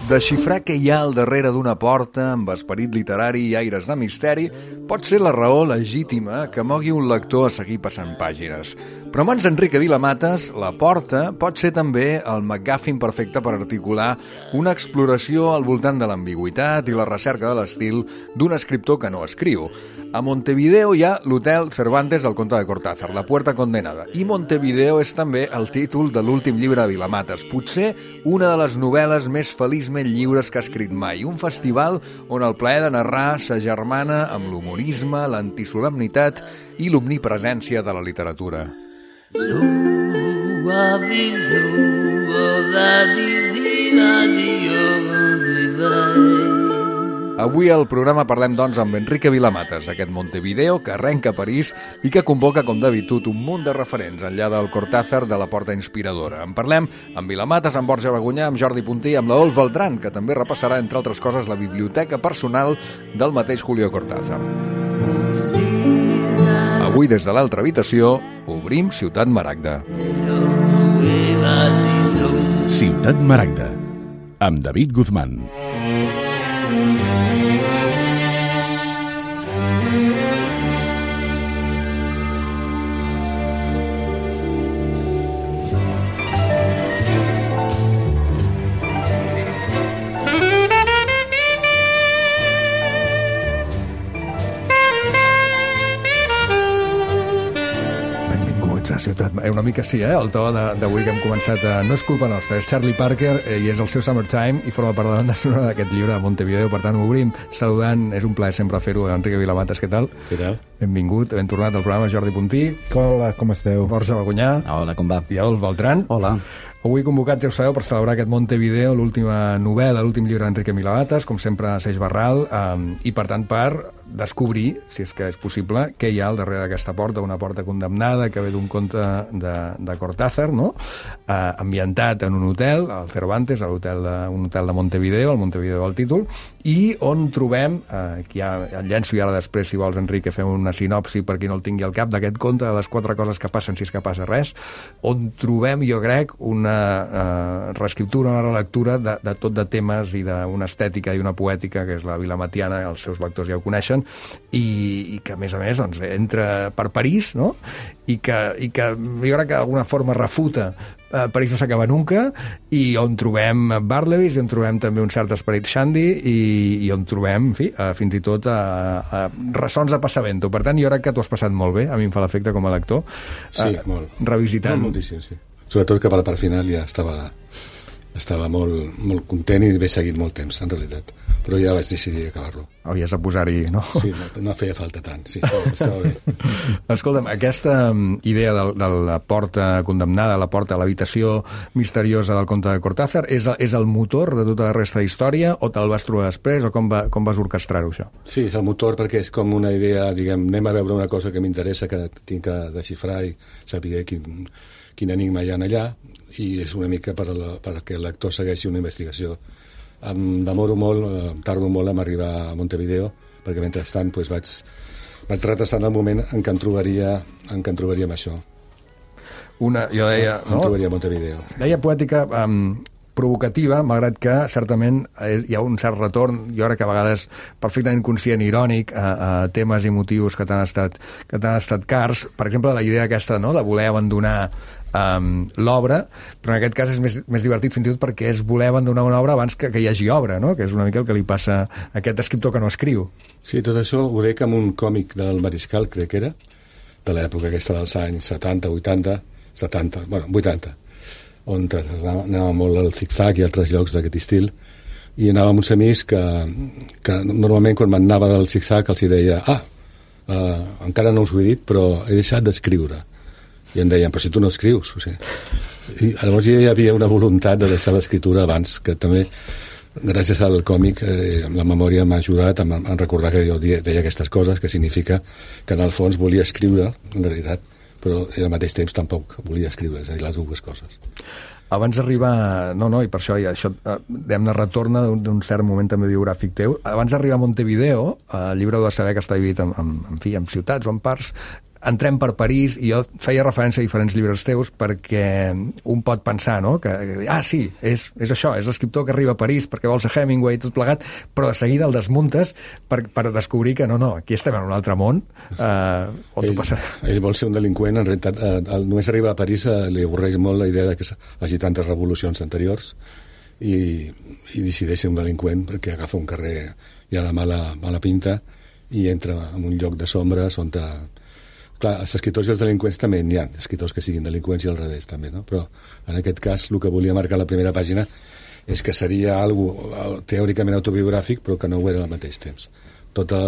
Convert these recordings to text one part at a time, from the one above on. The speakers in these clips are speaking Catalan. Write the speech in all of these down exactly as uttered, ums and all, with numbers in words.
Desxifrar què hi ha al darrere d'una porta amb esperit literari i aires de misteri pot ser la raó legítima que mogui un lector a seguir passant pàgines. Però en mans d'Enrique Vilamatas, la porta pot ser també el MacGuffin perfecte per articular una exploració al voltant de l'ambigüitat i la recerca de l'estil d'un escriptor que no escriu. A Montevideo hi ha l'Hotel Cervantes del Conte de Cortázar, La Puerta Condenada. I Montevideo és també el títol de l'últim llibre de Vilamatas, potser una de les novel·les més feliçment lliures que ha escrit mai. Un festival on el plaer de narrar s'agermana amb l'humorisme, l'antisolemnitat i l'omnipresència de la literatura. Avui al programa parlem, doncs, amb Enrique Vilamatas, aquest Montevideo que arrenca a París i que convoca, com d'habitud, un munt de referents enllà del Cortázar de la Porta Inspiradora. En parlem amb Vilamatas, amb Borja Bagunyà, amb Jordi Puntí, amb la Dols Beltrán, que també repassarà, entre altres coses, la biblioteca personal del mateix Julio Cortázar. Avui, des de l'altra habitació, obrim Ciutat Maragda. Ciutat Maragda, amb David Guzmán. Ciutat, una mica sí, eh? El to d'avui que hem començat a... No és culpa nostra, és Charlie Parker eh, i és el seu Summertime i forma part de la banda sonora d'aquest llibre de Montevideo. Per tant, obrim saludant, és un plaer sempre fer-ho, Enrique Vilamatas, què tal? Què tal? Benvingut, ben tornat al programa, Jordi Puntí. Hola, com esteu? Borja Bagunyà. Hola, com va? I Adolf Beltrán. Hola. Avui convocats, ja ho sabeu, per celebrar aquest Montevideo, l'última novel·la, l'últim llibre d'Enrique Vilamatas, com sempre a Seix Barral, eh, i per tant per descobrir, si és que és possible, què hi ha al darrere d'aquesta porta, una porta condemnada que ve d'un conte de, de Cortázar, no? eh, ambientat en un hotel, al Cervantes, a l'hotel de, un hotel de Montevideo, el Montevideo del títol, i on trobem, eh, aquí ja el llenço i ara després, si vols, Enrique, fem una sinopsi per qui no el tingui al cap, d'aquest conte de les quatre coses que passen si és que passa res, on trobem, jo crec, una uh, reescriptura, una relectura de, de tot de temes i d'una estètica i una poètica que és la vilamatiana, els seus lectors ja ho coneixen, i, i que a més a més doncs, entra per París, no? I que, i que jo crec que d'alguna forma refuta uh, París no s'acaba nunca, i on trobem Barlebys, i on trobem també un cert esperit Shandy, i, i on trobem, en fi, uh, fins i tot uh, uh, ressons de Passavento. Per tant, jo crec que t'ho has passat molt bé, a mi em fa l'efecte com a lector. Sí, uh, molt. Revisitant. Molt, moltíssim, sí. Sobretot que per la part final ja estava, estava molt, molt content i m'he seguit molt temps, en realitat. Però ja vaig decidir acabar-lo. Havies de posar-hi, no? Sí, no, no feia falta tant, sí, estava, estava bé. Escolta'm, aquesta idea de, de la porta condemnada, la porta, l'habitació misteriosa del conte de Cortázar, és, és el motor de tota la resta d'història, o te'l vas trobar després, o com, va, com vas orquestrar-ho, això? Sí, és el motor perquè és com una idea, diguem, anem a veure una cosa que m'interessa, que tinc que desxifrar i saber quin, quin enigma hi ha allà, i és una mica per, la, per que el lector segueixi una investigació. Em demoro molt, em tardo molt en arribar a Montevideo, perquè mentrestant doncs, vaig, vaig retrasant el moment en què em trobaria, en què em trobaria amb això. Una, jo deia... No? Em trobaria a Montevideo. Deia poètica um, provocativa, malgrat que certament hi ha un cert retorn, jo crec que a vegades perfectament conscient, irònic, a, a temes i motius que t'han estat, que t'han estat cars. Per exemple, la idea aquesta, no?, de voler abandonar Um, l'obra, però en aquest cas és més, més divertit fins i tot perquè és voler abandonar una obra abans que, que hi hagi obra, no? Que és una mica el que li passa a aquest escriptor que no escriu. Sí, tot això ho dec amb un còmic del Mariscal, crec que era, de l'època aquesta dels anys setanta, vuitanta, setanta, bueno, vuitanta, on anava molt al zig-zag i altres llocs d'aquest estil, i anava amb uns amics que, que normalment quan m'anava del zig-zag els deia, ah, uh, encara no us ho he dit, però he deixat d'escriure. I em deien, però si tu no escrius, o sigui. I llavors hi havia una voluntat de deixar l'escriptura abans, que també, gràcies al còmic, eh, la memòria m'ha ajudat a, a recordar que jo deia, deia aquestes coses, que significa que en el fons volia escriure, en realitat, però al mateix temps tampoc volia escriure, és a dir, les dues coses. Abans d'arribar... No, no, i per això, ja, això diguem-ne, retorna d'un cert moment també biogràfic teu. Abans d'arribar a Montevideo, el llibre ho de saber que està dividit en, en, en fi, en ciutats o en parts. entrem per París, i jo feia referència a diferents llibres teus perquè un pot pensar, no?, que, ah, sí, és, és això, és l'escriptor que arriba a París perquè vols a Hemingway i tot plegat, però de seguida el desmuntes per, per descobrir que no, no, aquí estem en un altre món, eh, on ell, tu passa... ell vol ser un delinqüent, en realitat, eh, només arriba a París eh, li avorreix molt la idea de que hagi tantes revolucions anteriors i, i decideix ser un delinqüent perquè agafa un carrer ja de mala, mala pinta i entra en un lloc de sombres on... Ta... Clar, els escriptors i els delinqüents també n'hi ha, escriptors que siguin delinqüents i al revés també, no? Però en aquest cas el que volia marcar la primera pàgina és que seria algo teòricament autobiogràfic però que no ho era al mateix temps. Tota...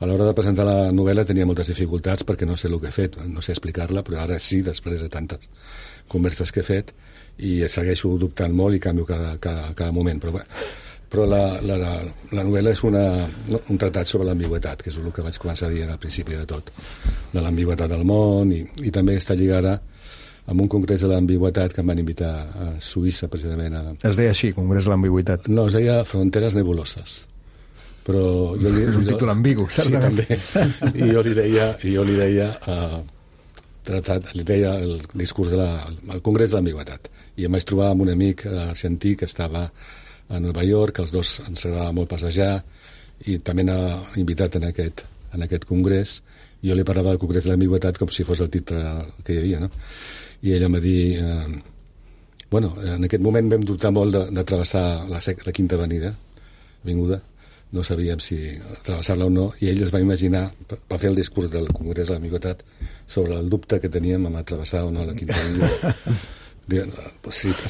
A l'hora de presentar la novel·la tenia moltes dificultats perquè no sé el que he fet, no sé explicar-la, però ara sí, després de tantes converses que he fet, i segueixo dubtant molt i canvio cada, cada, cada moment, però bé, però la, la, la novel·la és una, un tractat sobre l'ambigüitat, que és el que vaig començar a dir al principi de tot, de l'ambigüitat del món, i, i també està lligada amb un congrés de l'ambigüitat que em van invitar a Suïssa, precisament. A... Es deia així, Congrés de l'Ambigüitat? No, es deia Fronteres Nebuloses. Però jo li, és un jo, títol ambigu, certament. Sí, també. I jo li deia, i jo li deia, uh, tratat, li deia el discurs de la, el Congrés de l'Ambigüitat. I em vaig trobar amb un amic argentí que estava a Nova York, els dos ens agradava molt passejar, i també n'ha invitat en aquest, en aquest congrés. Jo li parlava del Congrés de l'Ambigüitat com si fos el titre que hi havia, no? I ella em va dir... Eh, bueno, en aquest moment vam dubtar molt de, de travessar la, la Quinta Avenida, Avinguda, no sabíem si travessar-la o no, i ell es va imaginar, va fer el discurs del Congrés de l'Ambigüitat sobre el dubte que teníem amb travessar o no la Quinta Avenida.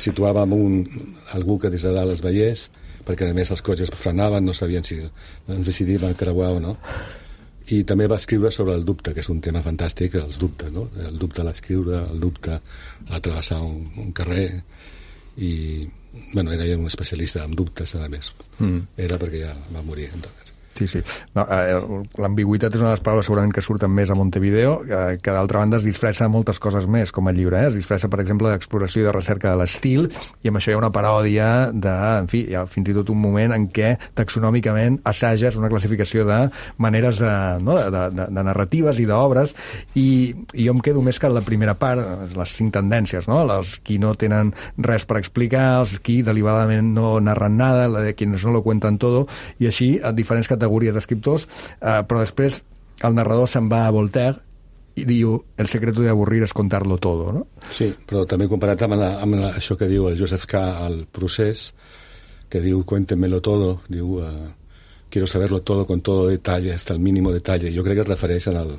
Situàvem un, algú que des de dalt es veiés, perquè a més els cotxes frenaven, no sabien si ens decidíem creuar o no. I també va escriure sobre el dubte, que és un tema fantàstic, els dubtes, no? El dubte a l'escriure, el dubte a travessar un, un carrer, i bueno, era un especialista en dubtes, a més. Mm. Era perquè ja va morir, entonces. Sí, sí. No, eh, l'ambigüitat és una de les paraules segurament que surten més a Montevideo, eh, que d'altra banda es disfressa moltes coses més, com el llibre. Eh? Es disfressa, per exemple, d'exploració i de recerca de l'estil, i amb això hi ha una paròdia de, en fi, hi ha fins i tot un moment en què taxonòmicament assages una classificació de maneres de, no? de, de, de narratives i d'obres, i, i jo em quedo més que en la primera part, les cinc tendències, no? Els qui no tenen res per explicar, els qui deliberadament no narren nada, la de quienes no lo cuentan todo, i així, a diferents categories d'escriptors, eh, però després el narrador se'n va a Voltaire i diu, el secreto de avorrir es contarlo todo, no? Sí, però també comparat amb, la, amb la, això que diu el Joseph K. al procés, que diu, cuéntemelo todo, diu, uh, quiero saberlo todo con todo detalle, hasta el mínimo detalle. Jo crec que es refereix al,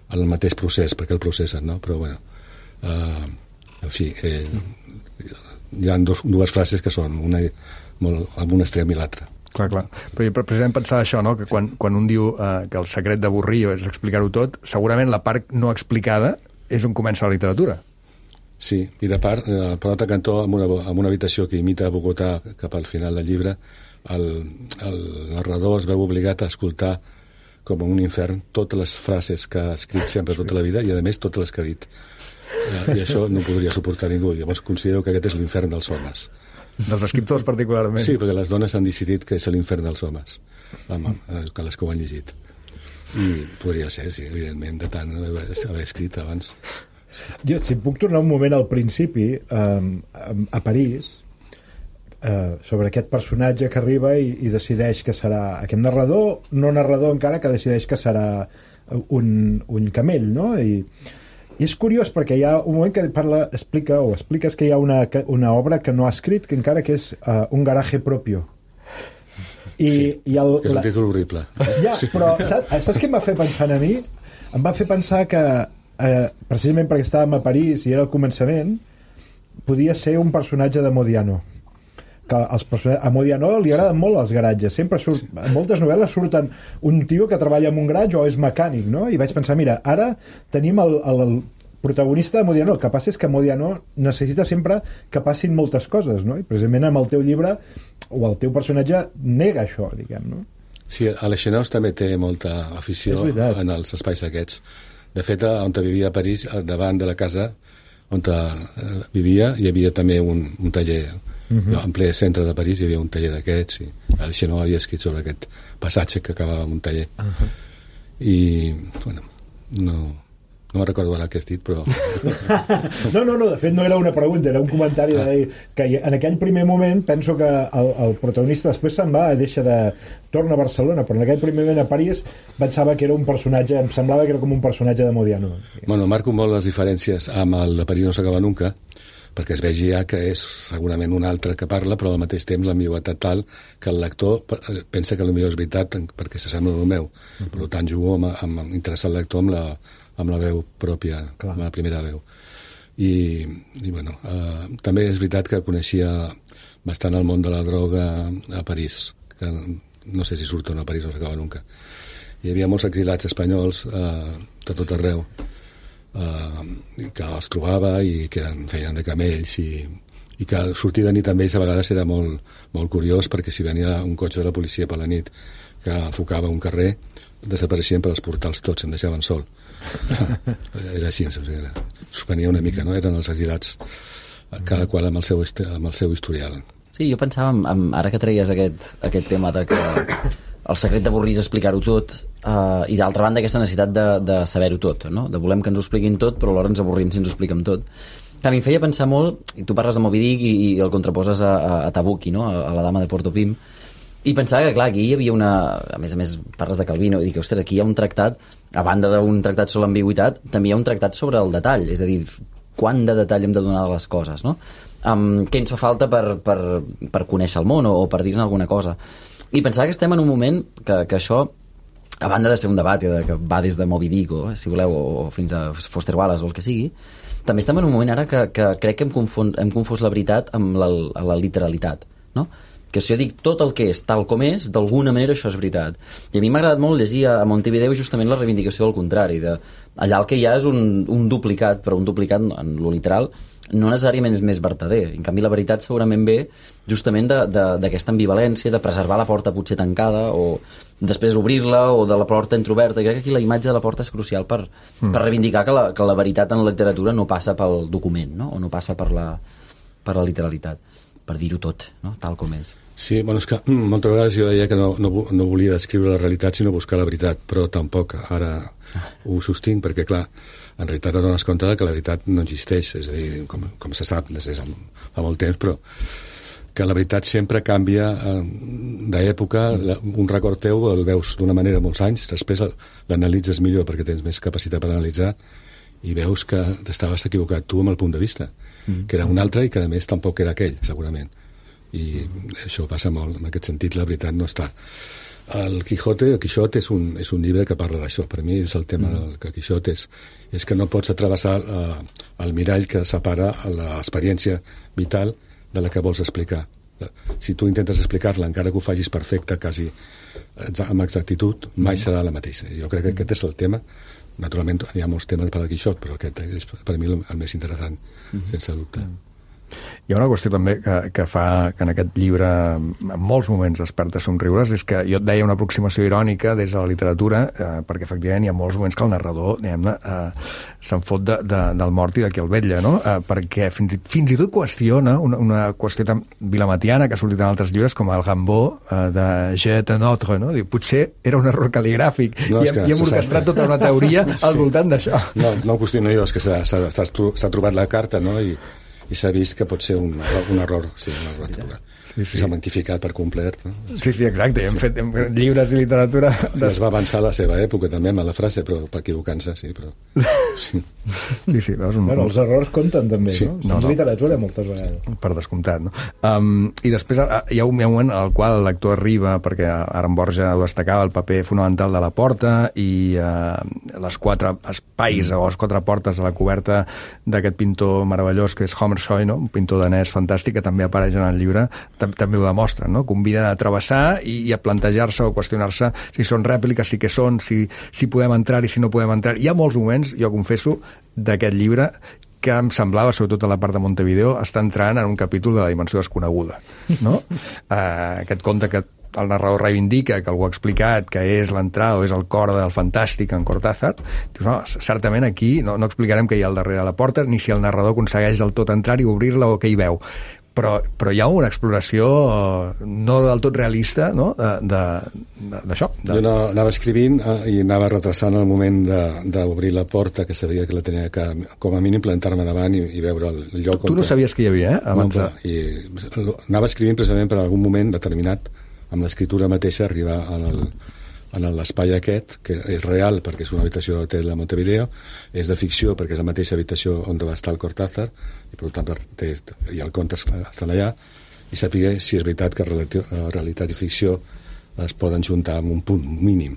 al mateix procés, perquè el processen, no? Però, bueno, uh, en fi, eh, hi ha dos, dues frases que són una, molt, amb un extrem i l'altre. Clar, clar. Però precisament pensar això, no? Que quan, quan un diu eh, que el secret d'avorrir és explicar-ho tot, segurament la part no explicada és on comença la literatura. Sí, i de part, eh, per l'altre cantó, amb una, amb una habitació que imita Bogotà cap al final del llibre, el, el narrador es veu obligat a escoltar com un infern totes les frases que ha escrit sempre tota la vida i, a més, totes les que ha dit. Eh, I això no podria suportar ningú. Llavors considero que aquest és l'infern dels homes. Dels escriptors, particularment. Sí, perquè les dones han decidit que és l'infern dels homes, amb, que les que ho han llegit. I podria ser, sí, evidentment, de tant haver, haver escrit abans. Sí. Jo, si em puc tornar un moment al principi, eh, a París, eh, sobre aquest personatge que arriba i, i decideix que serà aquest narrador, no narrador encara, que decideix que serà un, un camell, no? I I és curiós perquè hi ha un moment que parla, explica o expliques que hi ha una, una obra que no ha escrit, que encara que és uh, un garaje propio. I, sí, i el, que és un la... títol horrible. Ja, sí. Però saps, saps què em va fer pensar a mi? Em va fer pensar que eh, precisament perquè estàvem a París i era el començament, podia ser un personatge de Modiano. Que els a Modiano li agraden molt els garatges. Sempre surt, sí. En moltes novel·les surten un tio que treballa en un garatge o és mecànic, no? I vaig pensar, mira, ara tenim el, el, el protagonista de Modiano. El que passa és que Modiano necessita sempre que passin moltes coses, no? I precisament amb el teu llibre o el teu personatge nega això, diguem, no? Sí, Alexenos també té molta afició en els espais aquests. De fet, on vivia a París, davant de la casa on vivia, hi havia també un, un taller. Uh-huh. En ple centre de París hi havia un taller d'aquests i Alexenos havia escrit sobre aquest passatge que acabava amb un taller. Uh-huh. I, bueno, No, no me'n recordo ara què has dit, però... No, no, no, de fet no era una pregunta, era un comentari de dir que en aquell primer moment penso que el, el protagonista després se'n va, deixa de... torna a Barcelona, però en aquell primer moment a París pensava que era un personatge, em semblava que era com un personatge de Modiano. Bueno, marco molt les diferències amb el de París no s'acaba nunca, perquè es vegi ja que és segurament un altre que parla, però al mateix temps l'ambigüitat tal que el lector pensa que potser és veritat perquè s'assembla al meu. Uh-huh. Per tant, jugo amb, amb, amb interessar el lector amb la, amb la veu pròpia, clar, amb la primera veu. I, i bueno, eh, també és veritat que coneixia bastant el món de la droga a París, que no sé si surt o no a París, no s'acaba nunca. Hi havia molts exilats espanyols eh, de tot arreu, Uh, que els trobava i que feien de camells i, i que sortir de nit amb ells a vegades era molt, molt curiós, perquè si venia un cotxe de la policia per la nit que enfocava un carrer, desapareixien per als portals tots, em deixaven sol. Era així, era, suspenia una mica, no? Eren els exilats, cada qual amb el seu, amb el seu historial. Sí, jo pensava, en, en, ara que treies aquest, aquest tema de que el secret d'avorrir és explicar-ho tot, uh, i d'altra banda aquesta necessitat de, de saber-ho tot, no? De volem que ens ho expliquin tot, però alhora ens avorrim si ens ho expliquem tot. Que a mi em feia pensar molt, i tu parles de Moby Dick i, i el contraposes a, a, a Tabucchi, no? A, a la dama de Portopim, i pensava que, clar, aquí hi havia una... A més a més, parles de Calvino, i dic, ostres, aquí hi ha un tractat, a banda d'un tractat sobre l'ambigüitat, també hi ha un tractat sobre el detall, és a dir, quant de detall hem de donar de les coses, no? Um, què ens fa falta per, per, per conèixer el món o, o per dir-ne alguna cosa. I pensava que estem en un moment que, que això, a banda de ser un debat que, que va des de Moby Dick o, si voleu, o fins a Foster Wallace o el que sigui, també estem en un moment ara que, que crec que hem confon, hem confós la veritat amb la, la literalitat, no? Que si jo dic tot el que és tal com és, d'alguna manera això és veritat. I a mi m'ha agradat molt llegir a Montevideo justament la reivindicació del contrari, de allà el que hi ha és un, un duplicat, però un duplicat en lo literal no necessàriament és més vertader. En canvi, la veritat segurament ve justament d'aquesta ambivalència, de preservar la porta potser tancada, o després obrir-la, o de la porta entroberta. I crec que aquí la imatge de la porta és crucial per, mm. per reivindicar que la, que la veritat en la literatura no passa pel document, no? O no passa per la, per la literalitat, per dir-ho tot, no? Tal com és. Sí, bueno, és que moltes vegades jo deia que no, no, no volia descriure la realitat sinó buscar la veritat, però tampoc ara ho sostinc, perquè clar, en realitat et dones compte que la veritat no existeix, és a dir, com, com se sap des de fa molt temps, però que la veritat sempre canvia eh, d'època, un record teu el veus d'una manera molts anys, després l'analitzes millor perquè tens més capacitat per analitzar i veus que t'estaves equivocat tu amb el punt de vista, mm. que era un altre i que a més tampoc era aquell, segurament. I això passa molt, en aquest sentit la veritat no està. El Quijote, el Quixot és un, és un llibre que parla d'això. Per mi és el tema mm. del Quixot, és, és que no pots atravessar uh, el mirall que separa l'experiència vital de la que vols explicar. Si tu intentes explicar-la, encara que ho facis perfecte, quasi amb exactitud, mai serà la mateixa. Jo crec que aquest és el tema. Naturalment hi ha molts temes per al Quixot, però aquest és per mi el, el més interessant, mm-hmm. sense dubte. Mm. Hi ha una qüestió també que, que fa que en aquest llibre en molts moments desperta somriures, és que jo et deia una aproximació irònica des de la literatura, eh, perquè efectivament hi ha molts moments que el narrador eh, se'n fot de, de, del mort i de qui el vetlla, no? Eh, perquè fins, fins i tot qüestiona una, una qüestió tan vilamatiana que ha sortit en altres llibres com el Gambó eh, de Jet en Autre, no? Diu, potser era un error cal·ligràfic no, i, hem, i hem orquestrat tota una teoria sí. al voltant d'això. No, no ho qüestiono jo, és que s'ha trobat la carta, no? I i s'ha vist que pot ser un, un error, sí, un error trobat. Sí, sí. S'ha magnificat per complet. No? Sí, sí, exacte. Hem fet, hem fet llibres i literatura... Sí, es va avançar la seva època també amb la frase, però per equivocant-se, sí, però... Sí, sí, sí veus un... Bueno, els errors compten també, sí. no? no, no. literatura moltes vegades. Per descomptat, no? Um, I després hi ha un moment al qual el lector arriba, perquè ara en Borja ho destacava, el paper fonamental de la porta i uh, les quatre espais mm. o les quatre portes a la coberta d'aquest pintor meravellós que és Hammershøi, no? Un pintor danès fantàstic que també apareix en el llibre, també ho demostren, no? Conviden a travessar i, i a plantejar-se o qüestionar-se si són rèpliques, si què són, si, si podem entrar i si no podem entrar. Hi ha molts moments, jo confesso, d'aquest llibre que em semblava, sobretot a la part de Montevideo, estar entrant en un capítol de la dimensió desconeguda, no? uh, aquest conte que el narrador reivindica, que algú ha explicat que és l'entrada o és el cor del fantàstic en Cortázar, dius, no, certament aquí no, no explicarem què hi ha al darrere de la porta, ni si el narrador aconsegueix del tot entrar i obrir-la o què hi veu. però, però hi ha una exploració no del tot realista, no? d'això. De, de, jo no, anava escrivint eh, i anava retrasant el moment d'obrir la porta, que sabia que la tenia que, com a mínim, plantar-me davant i, i veure el lloc. Tu no on... sabies que hi havia, eh? Abans no, de... i anava escrivint precisament per algun moment determinat, amb l'escriptura mateixa, arribar en el en l'espai aquest, que és real perquè és una habitació d'hotel a Montevideo, és de ficció perquè és la mateixa habitació on va estar el Cortázar, i per tant té, i el conte estan allà, i saber si és veritat que realitat i ficció es poden juntar en un punt mínim.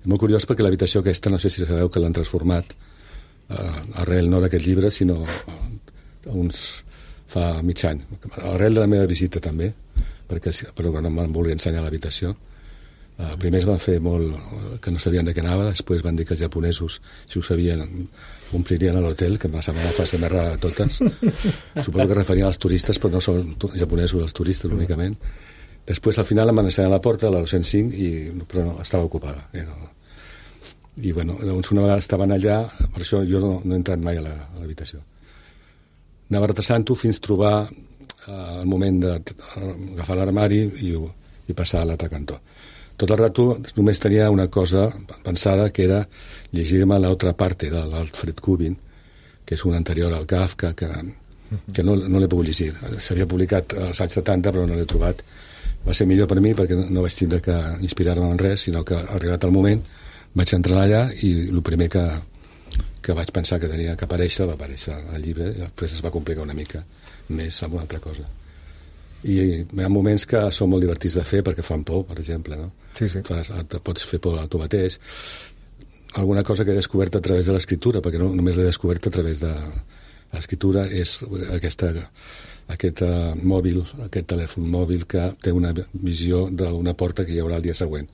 És molt curiós perquè l'habitació aquesta, no sé si sabeu que l'han transformat eh, arrel no d'aquest llibre, sinó eh, uns fa mig any. Arrel de la meva visita també, perquè, però no me'n volia ensenyar l'habitació. Uh, primer es van fer molt que no sabien de què anava, després van dir que els japonesos, si ho sabien, omplirien a l'hotel, que m'ha semblat la frase més rara de totes. Suposo que referien als turistes, però no són japonesos els turistes únicament. Després al final em van ensenyar la porta, la dos-cents cinc, i, però no, estava ocupada. I, no. I bueno, doncs una vegada estaven allà, per això jo no, no he entrat mai a l'habitació. Anava retrasant-ho fins trobar uh, el moment d'agafar l'armari i, i passar a l'altre cantó. Tot el rato només tenia una cosa pensada, que era llegir-me l'altra parte de l'Alfred Kubin, que és un anterior al Kafka, que, que no, no l'he pogut llegir. S'havia publicat als anys setanta, però no l'he trobat. Va ser millor per mi, perquè no vaig tindre que inspirar-me en res, sinó que, arribat el moment, vaig entrar allà i el primer que, que vaig pensar que tenia que aparèixer va aparèixer al llibre, i després es va complicar una mica més amb una altra cosa. I hi ha moments que són molt divertits de fer perquè fan por, per exemple, no? Sí, sí. Fas, et pots fer por a tu mateix. Alguna cosa que he descobert a través de l'escriptura, perquè no només l'he descobert a través de l'escriptura, és aquesta, aquest uh, mòbil, aquest telèfon mòbil que té una visió d'una porta que hi haurà el dia següent.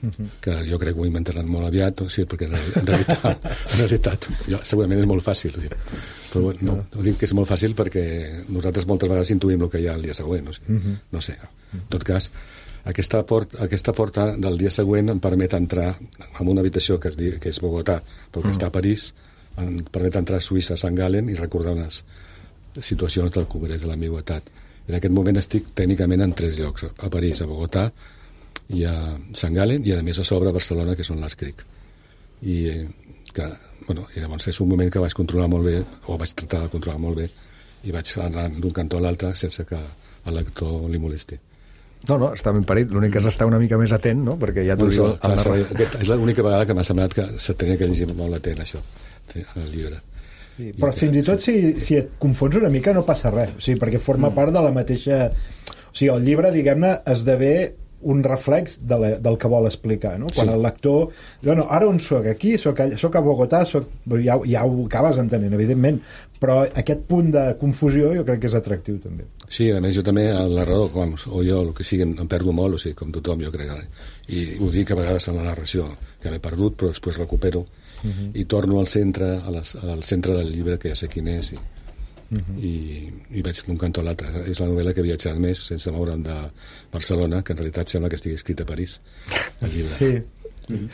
Uh-huh. Que jo crec que ho inventaran molt aviat, o sigui, perquè en realitat, en realitat jo, segurament és molt fàcil, o sigui, però no, no dic que és molt fàcil perquè nosaltres moltes vegades intuïm el que hi ha el dia següent, o sigui, uh-huh. no sé, en tot cas aquesta porta, aquesta porta del dia següent em permet entrar en una habitació que, es di, que és Bogotà, però que uh-huh. està a París, em permet entrar a Suïssa, a Sant Galen, i recordar unes situacions del Congrés de l'Ambigüitat. En aquest moment estic tècnicament en tres llocs, a París, a Bogotà i a Sant Galen, i a més a sobre a Barcelona, que són l'Escric. I, que, bueno, i llavors és un moment que vaig controlar molt bé, o vaig tratar de controlar molt bé, i vaig anar d'un cantó a l'altre sense que el lector li molesti. No, no, està ben parit. L'únic que és estar una mica més atent, no? Perquè ja t'ho diu... Clar, aquesta és l'única vegada que m'ha semblat que se tenia que llegir molt atent, això, el llibre. Sí, però I, fins i tot sí. si, si et confons una mica no passa res, o sigui, perquè forma mm. part de la mateixa... O sigui, el llibre, diguem-ne, esdevé un reflex de la, del que vol explicar, no? Quan sí. el lector... Bueno, ara on soc? Aquí? Soc a, soc a Bogotà? Soc... Ja, ja ho acabes entenent, evidentment, però aquest punt de confusió jo crec que és atractiu, també. Sí, a més jo també, el narrador, com, o jo, el que sigui, em perdo molt, o sigui, com tothom, jo crec. I ho dic a vegades en la narració, que m'he perdut, però després recupero, uh-huh. i torno al centre, a les, al centre del llibre, que ja sé quin és, i, uh-huh. i, i vaig d'un cantó a l'altre. És la novel·la que he viatjat més, sense moure'm de Barcelona, que en realitat sembla que estigui escrit a París, el llibre. Sí.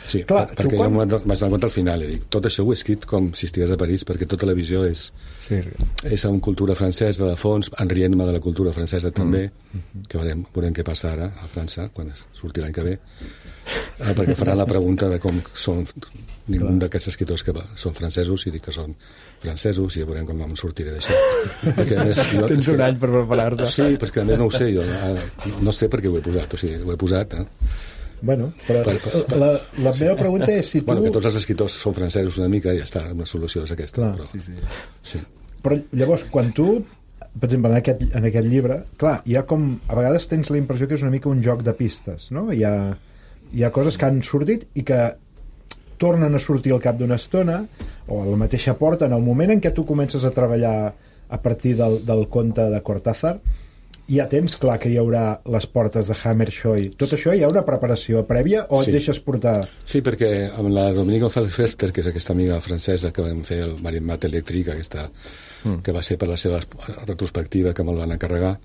Sí, clar, per, perquè quan... jo m'haig donat compte al final, dic, tot això ho he escrit com si estigués a París, perquè tota la visió és, sí, sí. és en cultura francesa de fons, enrient-me de la cultura francesa també, mm. que veurem, veurem què passa ara a França, quan surti l'any que ve, eh, perquè faran la pregunta de com són ningú d'aquests escriptors que són francesos, i dic que són francesos, i ja veurem com em sortiré d'això. Perquè, a més, jo, tens un que, any per preparar-te. Sí, perquè a més no ho sé, jo no, no sé per què ho he posat, o sigui, ho he posat, eh? Bueno, però per, per, per, la, la meva pregunta és si tu... Bueno, que tots els escriptors són francesos una mica, i ja està, una solució és aquesta. Clar, però, sí, sí. Sí. Però llavors, quan tu, per exemple, en aquest, en aquest llibre, clar, hi ha com... A vegades tens la impressió que és una mica un joc de pistes, no? Hi ha, hi ha coses que han sortit i que tornen a sortir al cap d'una estona, o a la mateixa porta, en el moment en què tu comences a treballar a partir del, del conte de Cortázar, ja tens clar que hi haurà les portes de Hammershøi. Tot això hi ha una preparació prèvia o sí. et deixes portar? Sí, perquè amb la Dominique González Fester, que és aquesta amiga francesa que vam fer el Marimat Elèctric, aquesta, mm. que va ser per la seva retrospectiva, que me'l van encarregar,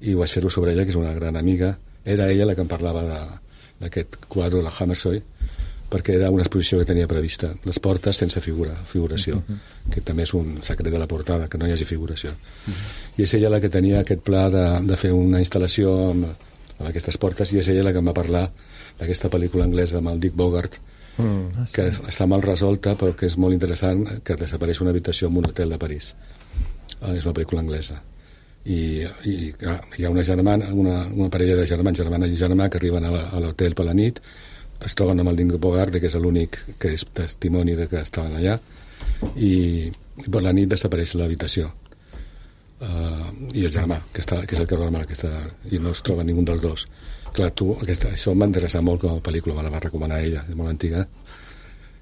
i ho vaig fer-ho sobre ella, que és una gran amiga. Era ella la que em parlava d'aquest quadre, la Hammershøi. perquè era una exposició que tenia prevista, les portes sense figura, figuració, uh-huh. que també és un secret de la portada, que no hi hagi figuració. Uh-huh. I és ella la que tenia aquest pla de, de fer una instal·lació amb, amb aquestes portes, i és ella la que em va parlar d'aquesta pel·lícula anglesa amb el Dick Bogart, mm. que està mal resolta, però que és molt interessant, que desapareix una habitació en un hotel de París. Uh, és una pel·lícula anglesa. I, i clar, hi ha una germana, una, una parella de germans, germana i germà, que arriben a, la, a l'hotel per la nit, es troben amb el Dick Bogart, que és l'únic que és testimoni de que estaven allà, i, i per la nit desapareix l'habitació. Uh, i el germà, que, està, que és el que dorm aquesta, i no es troba ningú dels dos. Clar, tu, aquesta, això em va interessar molt com a pel·lícula, me la va recomanar ella, és molt antiga,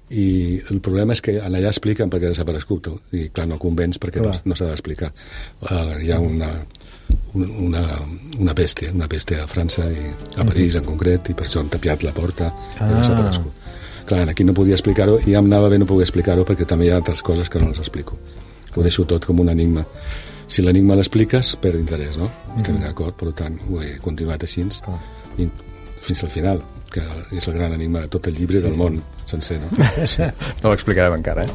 i el problema és que allà expliquen per què ha desaparegut, i clar, no convenç perquè clar. no, no s'ha d'explicar. Uh, hi ha una, una, una peste, una peste a França, i a París en concret, i per això han tapiat la porta ah. i ha desaparegut. Clar, aquí no podia explicar-ho, i ja em anava bé no poder explicar-ho perquè també hi ha altres coses que no les explico. Ho deixo tot com un enigma. Si l'enigma l'expliques, perd interès, no? Mm. Estem d'acord, per tant, ho he continuat així ah. i fins al final, que és el gran enigma de tot el llibre, sí, del món sencer, no? Sí. No l'explicarem encara, eh?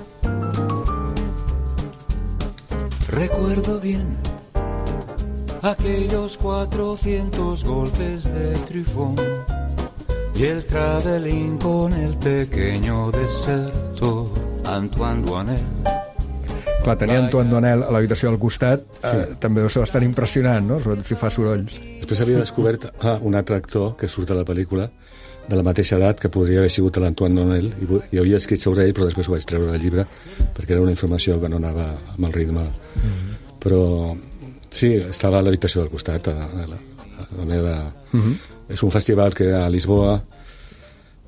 Recuerdo bien aquellos cuatrocientos golpes de trifón y el travelín con el pequeño deserto Antoine Douanel. Clar, tenir Antoine Douanel a l'habitació al costat sí. eh, també deu ser bastant impressionant, no? Sobretot si fa sorolls. Després havia descobert ah, un altre actor que surt a la pel·lícula de la mateixa edat que podria haver sigut l'Antoine Douanel, i, i havia escrit sobre ell, però després ho vaig treure del llibre perquè era una informació que no anava amb el ritme. Mm-hmm. Però sí, estava a l'habitació del costat, a, a, la, a la meva... Mm-hmm. És un festival que a Lisboa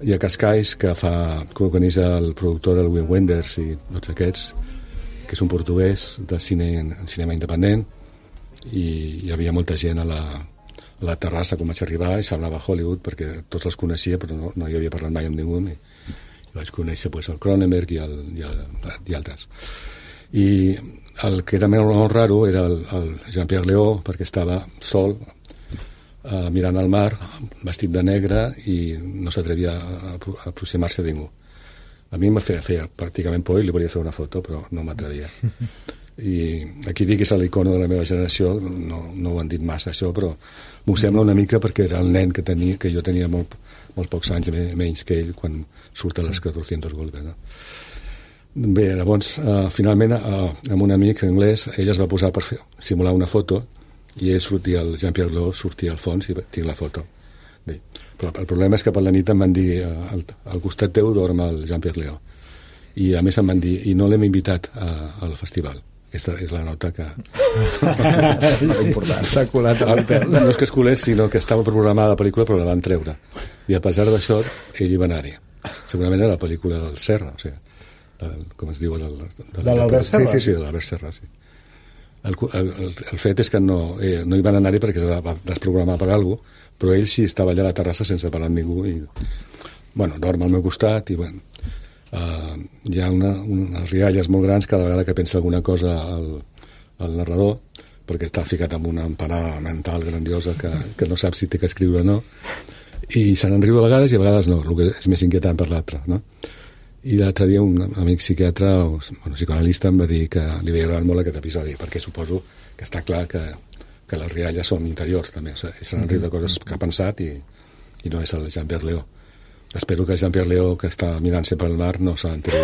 i a Cascais, que fa que organitza el productor del Wim Wenders i tots aquests, que és un portuguès de cine, cinema independent, i hi havia molta gent a la, a la terrassa quan vaig arribar, i semblava Hollywood perquè tots els coneixia, però no, no hi havia parlat mai amb ningú, i, i vaig conèixer pues, el Cronenberg i, el, i, el, i altres. I el que era molt, molt raro era el, el Jean-Pierre Léaud, perquè estava sol uh, mirant al mar, vestit de negre, i no s'atrevia a, a aproximar-se a ningú. A mi em feia, feia pràcticament por i li volia fer una foto, però no m'atrevia. I aquí dic que és l'icono de la meva generació, no, no ho han dit massa això, però m'ho sembla una mica perquè era el nen que, tenia, que jo tenia molt, molt pocs anys menys que ell quan surt a les cuatrocientos golpes. No? Bé, llavors, uh, finalment, uh, amb un amic anglès, ell es va posar per fer, simular una foto, i ell sortia, el Jean-Pierre Léaud sortia al fons i tinc la foto. Bé, però el problema és que per la nit em van dir al, al costat teu dorm el Jean-Pierre Léaud, i a més em van dir i no l'hem invitat a, al festival. Aquesta és la nota que s'ha colat a l'hotel. No és que es colés, sinó que estava programada la pel·lícula però la van treure, i a pesar d'això ell hi va anar-hi. Segurament era la pel·lícula del Serra, o sigui, del, com es diu del, del, de l'Albert Serra? Sí, sí, sí, de l'Albert Serra, sí. El, el, el fet és que no, eh, no hi van anar-hi perquè es va desprogramar per alguna cosa, però ell sí estava allà a la terrassa sense parlar amb ningú, i bueno, dorm al meu costat, i bueno, uh, hi ha una, unes rialles molt grans cada vegada que pensa alguna cosa al, al narrador, perquè està ficat en una empanada mental grandiosa que, que no sap si té que escriure o no, i se n'enriu a vegades i a vegades no, el que és més inquietant per l'altre, no? I l'altre dia un amic psiquiatre o bueno, psicoanalista em va dir que li havia agradat molt aquest episodi, perquè suposo que està clar que, que les rialles són interiors també, o sigui, se n'enriu de coses que ha pensat, i, i no és el Jean-Pierre Léaud. Espero que el Jean-Pierre Léaud, que està mirant sempre al mar, no se n'enteri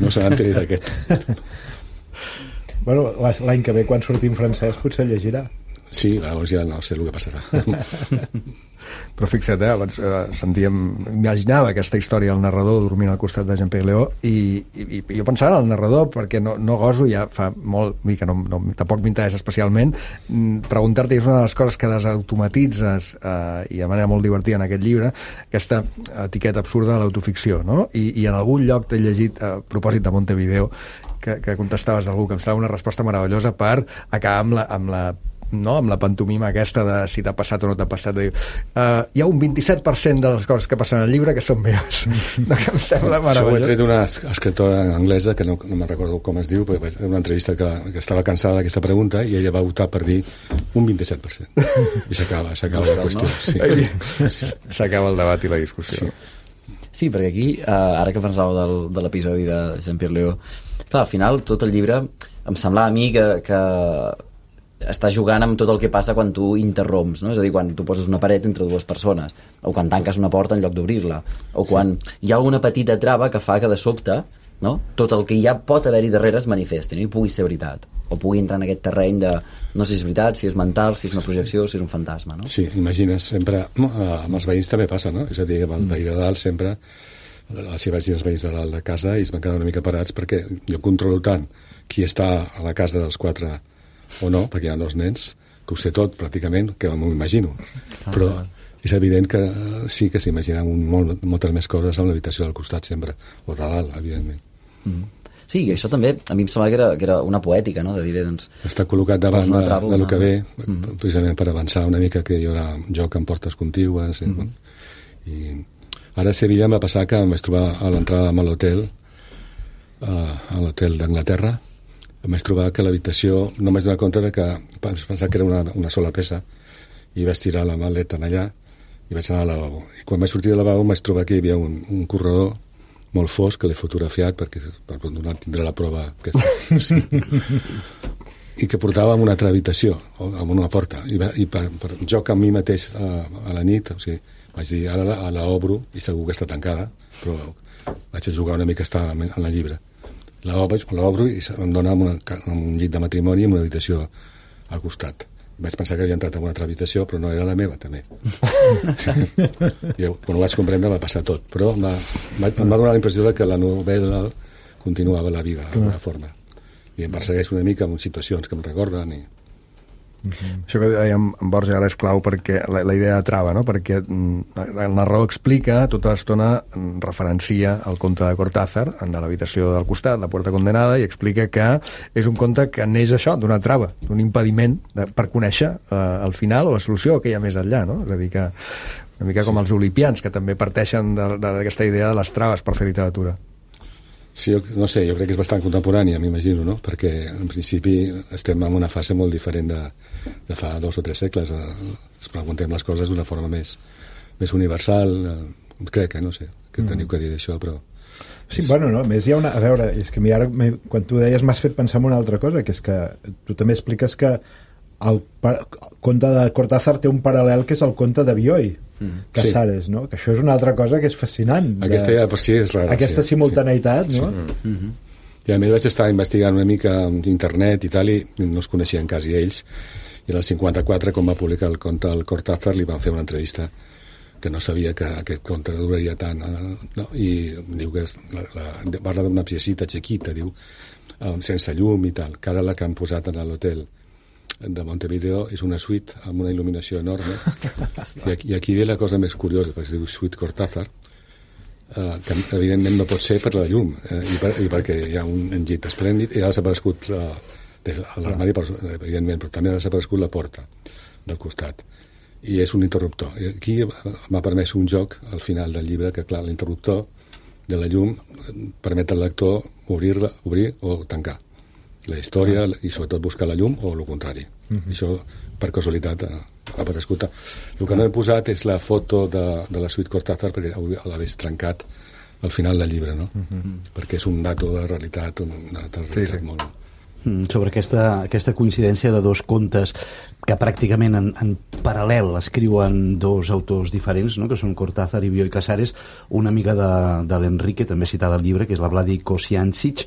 no se n'enteri d'aquest. Bueno, l'any que ve quan surti en francès potser llegirà. Sí, llavors ja no sé el que passarà. Però fixa't, eh, abans eh, sentíem, imaginava aquesta història del narrador dormint al costat de Jean-Pierre Léaud, i, i, i jo pensava en el narrador perquè no, no goso, ja fa molt, vull dir que no, no, tampoc m'interessa especialment, preguntar-te, és una de les coses que desautomatitzes eh, i de manera molt divertida en aquest llibre, aquesta etiqueta absurda de l'autoficció, no? I, i en algun lloc t'he llegit a propòsit de Montevideo que, que contestaves a algú que em sembla una resposta meravellosa per acabar amb la, amb la no, amb la pantomima aquesta de si t'ha passat o no t'ha passat, de dir, uh, hi ha un vint-i-set per cent de les coses que passen al llibre que són meves. No, que em sembla meravellós. Això ho he tret d'una escriptora anglesa que no, no me'n recordo com es diu, però era una entrevista que, que estava cansada d'aquesta pregunta i ella va optar per dir un vint-i-set per cent. I s'acaba, s'acaba la qüestió. Sí. S'acaba el debat i la discussió. Sí. Sí, perquè aquí, eh, ara que pensava del, de l'episodi de Jean-Pierre Léaud, clar, al final tot el llibre em semblava a mi que, que està jugant amb tot el que passa quan tu interromps, no? És a dir, quan tu poses una paret entre dues persones, o quan tanques una porta en lloc d'obrir-la, o quan sí. hi ha alguna petita trava que fa que de sobte, no? tot el que ja pot haver-hi darrere es manifesti, no? I pugui ser veritat, o pugui entrar en aquest terreny de no sé si és veritat, si és mental, si és una projecció, si és un fantasma, no? Sí, imagines, sempre, amb els veïns també passa, no? És a dir, amb el veí de dalt sempre, si vaig dir els veïns de dalt de casa i es van quedar una mica parats perquè jo controlo tant qui està a la casa dels quatre o no, perquè hi ha dos nens, que ho sé tot pràcticament, que m'ho imagino. Però és evident que sí que s'imaginen molt, moltes més coses en l'habitació del costat sempre, o de dalt, evidentment. Mm. Sí, i això també a mi em semblava que era, que era una poètica, no? De dir, doncs, està col·locat davant de, trava, de lo una... que ve, mm. precisament per avançar una mica, que hi haurà joc amb portes contigües. Eh? Mm. I ara a Sevilla em va passar que em vaig trobar a l'entrada a l'hotel, uh, a l'hotel d'Anglaterra, em vaig trobar que l'habitació, no m'haig donat compte de que vaig pensar que era una, una sola peça, i vaig tirar la maleta allà i vaig anar al lavabo. I quan vaig sortir del lavabo em vaig trobar que hi havia un, un corredor molt fosc que l'he fotografiat perquè per donar tindrà la prova aquesta. Sí. I que portava a una altra habitació, amb una porta. I, va, i per, per joc amb mi mateix a, a la nit, o sigui, vaig dir, ara la, la obro i segur que està tancada, però vaig a jugar una mica a estar en el llibre. L'obro i em dona amb, una, amb un llit de matrimoni i amb una habitació al costat. Vaig pensar que havia entrat en una altra habitació, però no era la meva, també. I quan ho vaig comprendre va passar tot. Però em va, em va donar la impressió que la novel·la continuava la vida d'alguna forma. I em persegueix una mica amb situacions que em recorden i... Uh-huh. Això que dèiem en Borges ara és clau perquè la, la idea de trava, no? Perquè mm, el narrador explica, tota l'estona referencia el conte de Cortázar de l'habitació del costat, La puerta condenada, i explica que és un conte que neix això, d'una trava, d'un impediment de, per conèixer eh, el final o la solució que hi ha més enllà, no? És a dir que una mica com sí. els olipians, que també parteixen d'aquesta idea de les traves per fer literatura. Sí, jo, no sé, jo crec que és bastant contemporània, m'imagino, no? Perquè en principi estem en una fase molt diferent de, de fa dos o tres segles. Es preguntem les coses d'una forma més, més universal. Crec, eh? No sé, que teniu que dir d'això, però... Sí, és... bueno, no, més hi ha una... A veure, és que ara, quan tu deies, m'has fet pensar en una altra cosa, que és que tu també expliques que el, el conte de Cortázar té un paral·lel que és el conte de Bioy, mm. Casares, sí. no? Que això és una altra cosa que és fascinant. Aquesta ja per si és rara. Aquesta sí, simultaneïtat, sí. no? Sí. Mm-hmm. I a més vaig estar investigant una mica internet i tal, i no es coneixien quasi ells, i en el cinquanta-quatre, quan va publicar el conte del Cortázar, li van fer una entrevista que no sabia que aquest conte duraria tant, no? I diu que és la, la, parla d'una piecita chiquita, diu, sense llum i tal, que ara la que han posat en l'hotel de Montevideo és una suite amb una il·luminació enorme. I aquí, i aquí ve la cosa més curiosa, perquè es diu Suite Cortázar, eh, que evidentment no pot ser per la llum, eh, i, per, i perquè hi ha un, un llit esplèndid, i ha desaparegut la, des de l'armari, evidentment, però també ha desaparegut la porta del costat. I és un interruptor. I aquí m'ha permès un joc al final del llibre, que clar, l'interruptor de la llum permet al lector obrir-la, obrir o tancar la història i sobretot buscar la llum o el contrari. Uh-huh. Això per casualitat ha aparegut. El que no he posat és la foto de, de la Suite Cortázar perquè l'hagués trencat al final del llibre, no? Uh-huh. Perquè és un dato de realitat, una data de realitat sí, sí. molt... Sobre aquesta, aquesta coincidència de dos contes que pràcticament en, en paral·lel escriuen dos autors diferents, no? Que són Cortázar i Bioy Casares. Una amiga de, de l'Enrique, també citada al llibre, que és la Vladi Kosiancic,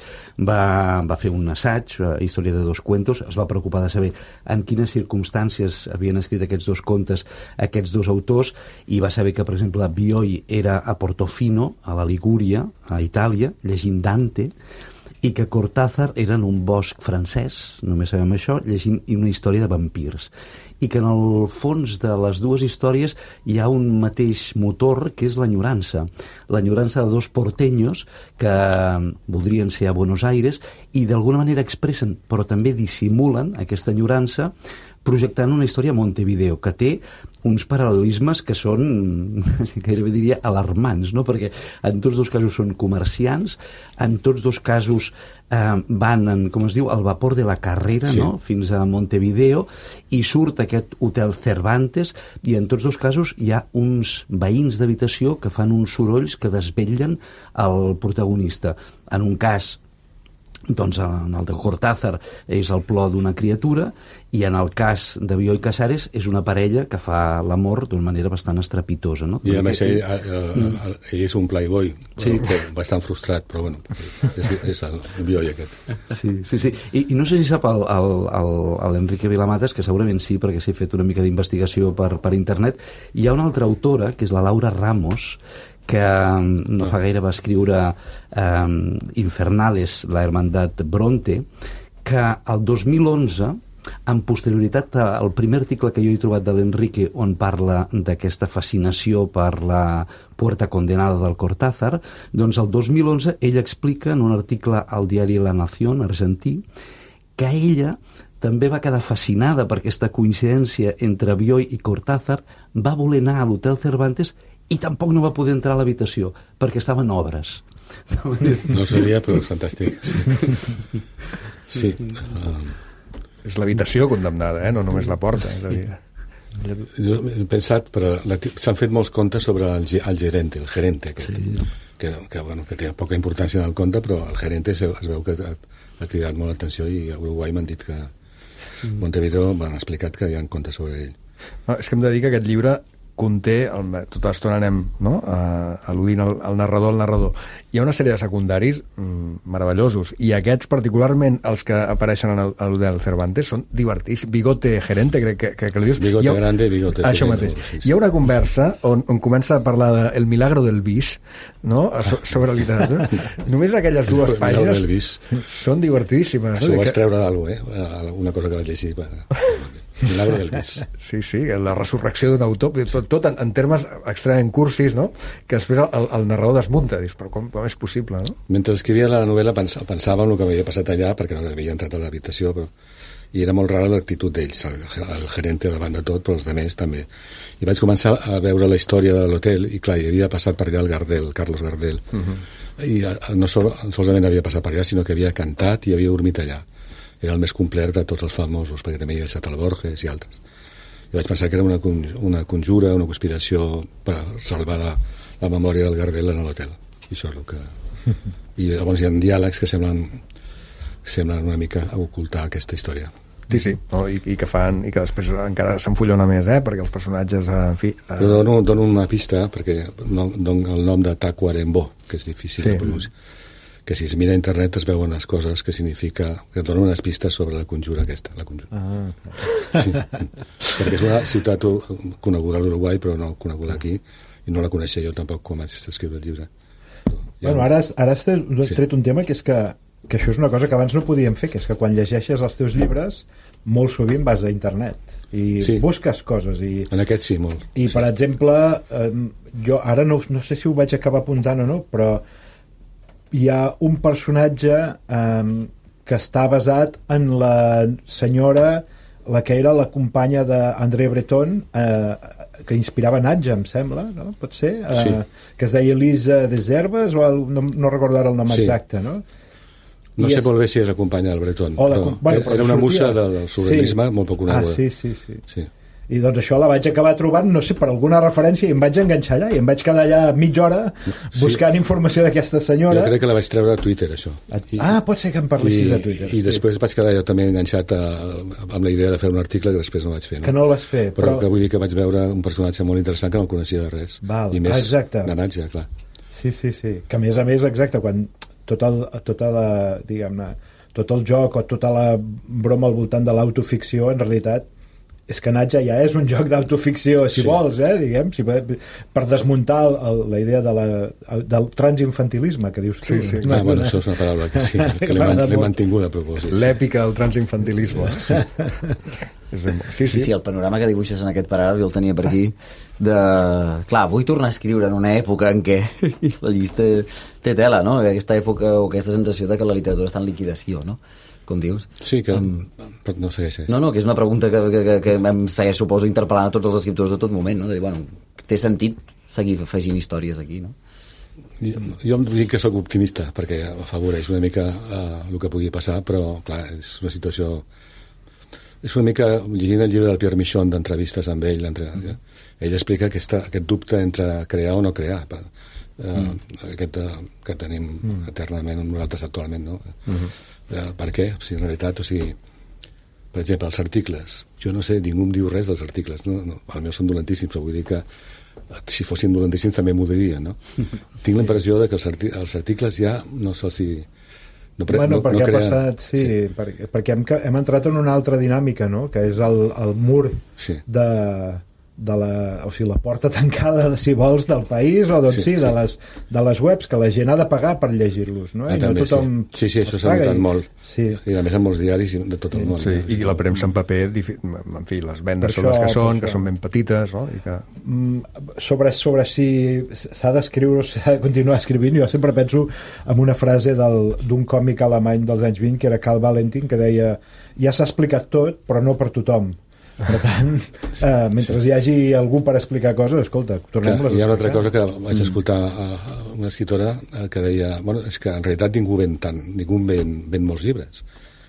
va, va fer un assaig, Història de dos cuentos, es va preocupar de saber en quines circumstàncies havien escrit aquests dos contes aquests dos autors, i va saber que, per exemple, Bioy era a Portofino, a la Ligúria, a Itàlia, llegint Dante, i que Cortázar era en un bosc francès, només sabem això, llegint una història de vampirs. I que en el fons de les dues històries hi ha un mateix motor, que és l'enyorança. L'enyorança de dos porteños que voldrien ser a Buenos Aires i d'alguna manera expressen, però també dissimulen aquesta enyorança projectant una història a Montevideo, que té uns paral·lelismes que són, gairebé diria, alarmants, no? Perquè en tots dos casos són comerciants, en tots dos casos eh, van, en, com es diu, al vapor de la Carrera, sí. no? Fins a Montevideo, i surt aquest hotel Cervantes, i en tots dos casos hi ha uns veïns d'habitació que fan uns sorolls que desvetllen el protagonista. En un cas, doncs en el de Cortázar és el plor d'una criatura, i en el cas de Bioy Casares és una parella que fa l'amor d'una manera bastant estrepitosa, no? I a més ell, ell, ell és un playboy, sí. bastant frustrat, però bueno, és, és el Bioy aquest. Sí, sí, sí. I, i no sé si sap l'Enrique Vilamatas, que segurament sí, perquè s'ha fet una mica d'investigació per, per internet. Hi ha una altra autora, que és la Laura Ramos, que no fa gaire va escriure eh, Infernales, la Hermandad Bronte, que el dos mil onze, en posterioritat al primer article que jo he trobat de l'Enrique on parla d'aquesta fascinació per la Puerta Condenada del Cortázar, doncs el dos mil onze ella explica en un article al diari La Nación argentí que ella també va quedar fascinada per aquesta coincidència entre Bioy i Cortázar, va voler anar a l'Hotel Cervantes i tampoc no va poder entrar a l'habitació perquè estaven obres. No sabia, però és fantàstic. Sí. sí. Um... És l'habitació condemnada, eh? No només la porta. Sí. És a dir... Jo he pensat, però s'han fet molts contes sobre el, el gerente, el gerente aquest, sí. que, que, bueno, que té poca importància en el conte, però el gerente es, es veu que ha, ha cridat molt l'atenció, i a Uruguai m'han dit que Montevideo m'han explicat que hi ha contes sobre ell. No, és que em dedica aquest llibre conté, el, tota l'estona anem no? uh, al·ludint el, el narrador, el narrador. Hi ha una sèrie de secundaris mm, meravellosos, i aquests particularment, els que apareixen a l'Hotel Cervantes, són divertits. Bigote gerente, crec que, que, que li dius. Bigote ha, grande, bigote això mateix. Sí, sí. Hi ha una conversa on, on comença a parlar de El milagro del bis, no? So, sobre literatura. Només aquelles dues pàgines són divertidíssimes. Això no? ho vaig treure d'algú, eh? Una cosa que vaig llegir. Milagro del bis. Sí, sí, la resurrecció d'un autor, tot, tot en, en termes extremadament cursis, no? Que després el, el narrador desmunta, dius, però com, com és possible, no? Mentre escrivia la novel·la pensava, pensava en el que m'havia passat allà, perquè no havia entrat a l'habitació, però... i era molt rara l'actitud d'ells, el, el gerente davant de tot, però els altres també. I vaig començar a veure la història de l'hotel, i clar, hi havia passat per allà el Gardel, Carlos Gardel, uh-huh. i no sol, solament havia passat per allà, sinó que havia cantat i havia dormit allà. Era el més complet de tots els famosos, perquè també hi havia estat el Borges i altres. I vaig pensar que era una, una conjura, una conspiració per salvar la, la memòria del Gardel en l'hotel. I això és el que... I llavors hi ha diàlegs que semblen, semblen una mica a ocultar aquesta història. Sí, sí, no? I, i que fan, i que després encara s'enfullona més, eh? Perquè els personatges, en fi... Eh... Però dono, dono una pista, perquè no, dono el nom de Tacuarembó, que és difícil sí. de pronunciar. Que si es mira a internet es veuen les coses que significa, que et donen unes pistes sobre la conjura aquesta, la conjura. Ah, sí, perquè és una ciutat coneguda a l'Uruguai, però no coneguda aquí, i no la coneixia jo tampoc quan vaig escriure el llibre. Bueno, un... ara, ara has tret, sí. tret un tema que és que, que això és una cosa que abans no podíem fer, que és que quan llegeixes els teus llibres molt sovint vas a internet i sí. busques coses. I, en aquest sí, molt. I, sí. per exemple, eh, jo ara no, no sé si ho vaig acabar apuntant o no, però hi ha un personatge eh, que està basat en la senyora, la que era la companya d'André Breton, eh, que inspirava Natja, em sembla, no? Pot ser? Eh, sí. Que es deia Elisa Deserves, o el, no, no recordo ara el nom sí. exacte, no? No I sé és... molt bé si és la companya del Breton, la, però, bueno, però era una sortia... musa del surrealisme sí. molt poc coneguda. Ah, sí, sí, sí. sí. I doncs això la vaig acabar trobant, no sé, per alguna referència, i em vaig enganxar allà, i em vaig quedar allà mitja hora buscant sí. informació d'aquesta senyora. Jo crec que la vaig treure a Twitter, això. I, ah, pot ser que em parlessis i, a Twitter. I sí. després vaig quedar jo també enganxat a, amb la idea de fer un article que després no vaig fer. No? Que no el vas fer. Però, però que vull dir que vaig veure un personatge molt interessant que no el coneixia de res. Val. I més ah, exacte. de Natja, clar. Sí, sí, sí. Que a més a més, exacte, quan tot el, tota la, diguem-ne, tot el joc o tota la broma al voltant de l'autoficció, en realitat, és que Natja ja és un joc d'autoficció, si sí. vols, eh, diguem, si, per desmuntar el, la idea de la, del transinfantilisme, que dius tu. Sí, sí. No, ah, bueno, això és una paraula que sí, que l'he mantingut a propòsit. L'èpica del transinfantilisme. Sí. Sí, sí, sí, el panorama que dibuixes en aquest paràgraf, jo el tenia per aquí, de... Clar, vull tornar a escriure en una època en què la llista té tela, no? Aquesta època o aquesta sensació de que la literatura està en liquidació, no? Com dius. Sí, que... Um, no segueix, segueix. No, no, que és una pregunta que, que, que, que em segueix, suposo, interpel·lant a tots els escriptors de tot moment, no? De dir, bueno, té sentit seguir afegint històries aquí, no? Jo, jo em dic que sóc optimista, perquè afavoreix una mica uh, el que pugui passar, però, clar, és una situació... És una mica, llegint el llibre del Pierre Michon d'entrevistes amb ell, entre, mm. ell explica aquesta, aquest dubte entre crear o no crear, uh, mm. aquest uh, que tenim mm. eternament nosaltres actualment, no? Mm-hmm. Uh, per què? Si en realitat, o sigui, per exemple, els articles, jo no sé, ningú em diu res dels articles, no? No, els meus són dolentíssims, però vull dir que si fossin dolentíssims també m'ho dirien, no? Tinc la impressió de que els, arti els articles ja no se'ls... No, bueno, no, perquè no creen... ha passat, sí, sí. perquè, perquè hem, hem entrat en una altra dinàmica, no? Que és el, el mur sí. de, de la, o sigui, la porta tancada, si vols, del país, o doncs sí, sí, sí. De, les, de les webs, que la gent ha de pagar per llegir-los, no? Ah, I també, no tothom sí. sí, sí, això s'ha notat i... molt. Sí. I a més en molts diaris de tot el sí, món. Sí, no? I la premsa en paper, en fi, les vendes són les que són, que són ben petites, no? I que... sobre, sobre si s'ha d'escriure o s'ha de continuar escrivint, jo sempre penso en una frase d'un còmic alemany dels anys vint, que era Karl Valentin, que deia, ja s'ha explicat tot, però no per tothom. Per tant, eh, mentre hi hagi algú per explicar coses, escolta, tornem-les a explicar. Hi ha una altra cosa que vaig escoltar a una escriptora que deia, bueno, és que en realitat ningú ven tant, ningú ven, ven molts llibres.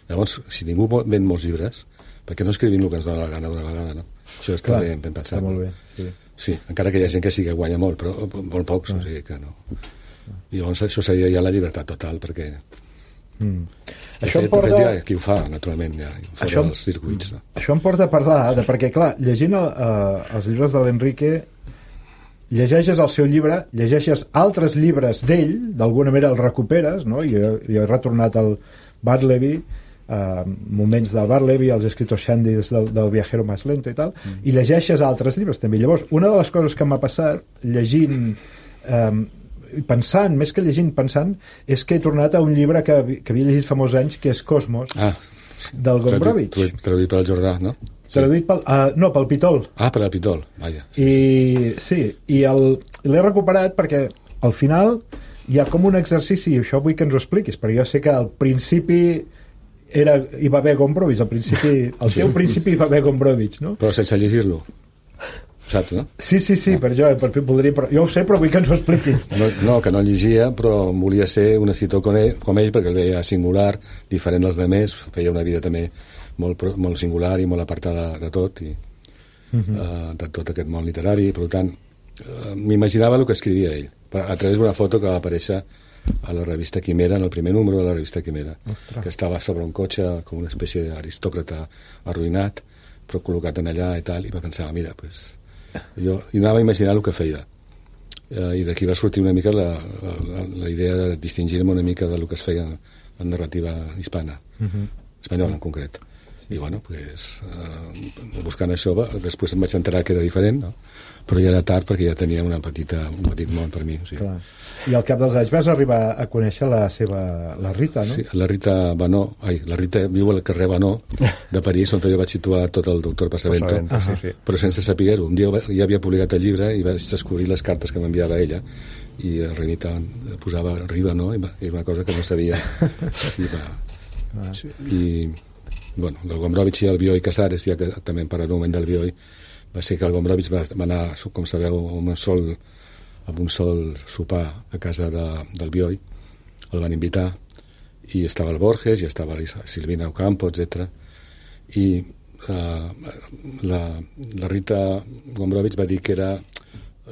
Llavors, si ningú ven molts llibres, per què no escrivim el que ens dona la gana d'una vegada, no? Això està Clar, ben, ben pensat. Està molt bé, sí. Sí, encara que hi ha gent que sí que guanya molt, però molt pocs, ah. o sigui que no. I llavors això seria ja la llibertat total, perquè... Mm. Això fet, em porta... fet, ja, qui ho fa, naturalment, ja, fora això, dels circuits. No? Això em porta a parlar, de, perquè, clar, llegint el, uh, els llibres de l'Enrique, llegeixes el seu llibre, llegeixes altres llibres d'ell, d'alguna manera els recuperes, no? Jo, jo he retornat al Bartleby, uh, moments del Bartleby, els escriptors Shandys del, del Viajero Más Lento i tal, mm. i llegeixes altres llibres també. Llavors, una de les coses que m'ha passat, llegint... Um, pensant, més que llegint, pensant, és que he tornat a un llibre que, que havia llegit fa molts anys, que és Cosmos, ah, sí. del Gombrowicz. Traduït pel Jordà, no? Sí. Traduït pel... Uh, no, pel Pitol. Ah, per el Pitol, vaja. Sí. I sí, i l'he recuperat perquè al final hi ha com un exercici, i això vull que ens ho expliquis, perquè jo sé que al principi era, hi va haver Gombrowicz, al principi, al teu principi hi va haver Gombrowicz, no? Però sense llegir-lo. Saps, no? Sí, sí, sí, ah. per jo, per, voldria, per, jo ho sé, però vull que ens ho expliquis. No, no, que no llegia, però volia ser un escriptor com ell, com ell, perquè el veia singular, diferent dels demés, feia una vida també molt, molt singular i molt apartada de tot, i uh -huh. uh, de tot aquest món literari, per tant, uh, m'imaginava el que escrivia ell, a través d'una foto que va aparèixer a la revista Quimera, en el primer número de la revista Quimera, Ostres. Que estava sobre un cotxe com una espècie d'aristòcrata arruïnat, però col·locat en allà i tal, i va pensar, mira, pues... jo i anava a imaginar el que feia eh, i d'aquí va sortir una mica la, la, la idea de distingir-me una mica del que es feia en narrativa hispana, uh-huh. espanyola en concret, sí, i bueno, pues, eh, buscant això després em vaig enterar que era diferent, no? Però ja era tard perquè ja tenia una petita, un petit món per mi, o sigui. Clar. I al cap dels anys vas arribar a conèixer la seva, la Rita, no? Sí, la Rita Banó, ai, la Rita viu al carrer Banó de París, on jo vaig situar tot el doctor Pasavento, Pasavento uh -huh. sí, sí. però sense saber-ho. Un dia ja havia publicat el llibre i vaig descobrir les cartes que m'enviava ella, i el Rita posava Riba, no? I era una cosa que no sabia. I, va, ah. sí, i bueno, el Gombrowicz i el Bioy Casares, ja que també hem parlat un moment del Bioy, va ser que el Gombrowicz va, va anar, com sabeu, amb un sol, amb un sol sopar a casa de, del Bioy, el van invitar, i estava el Borges, i estava la Silvina Ocampo, etcètera. I uh, la, la Rita Gombrowicz va dir que era,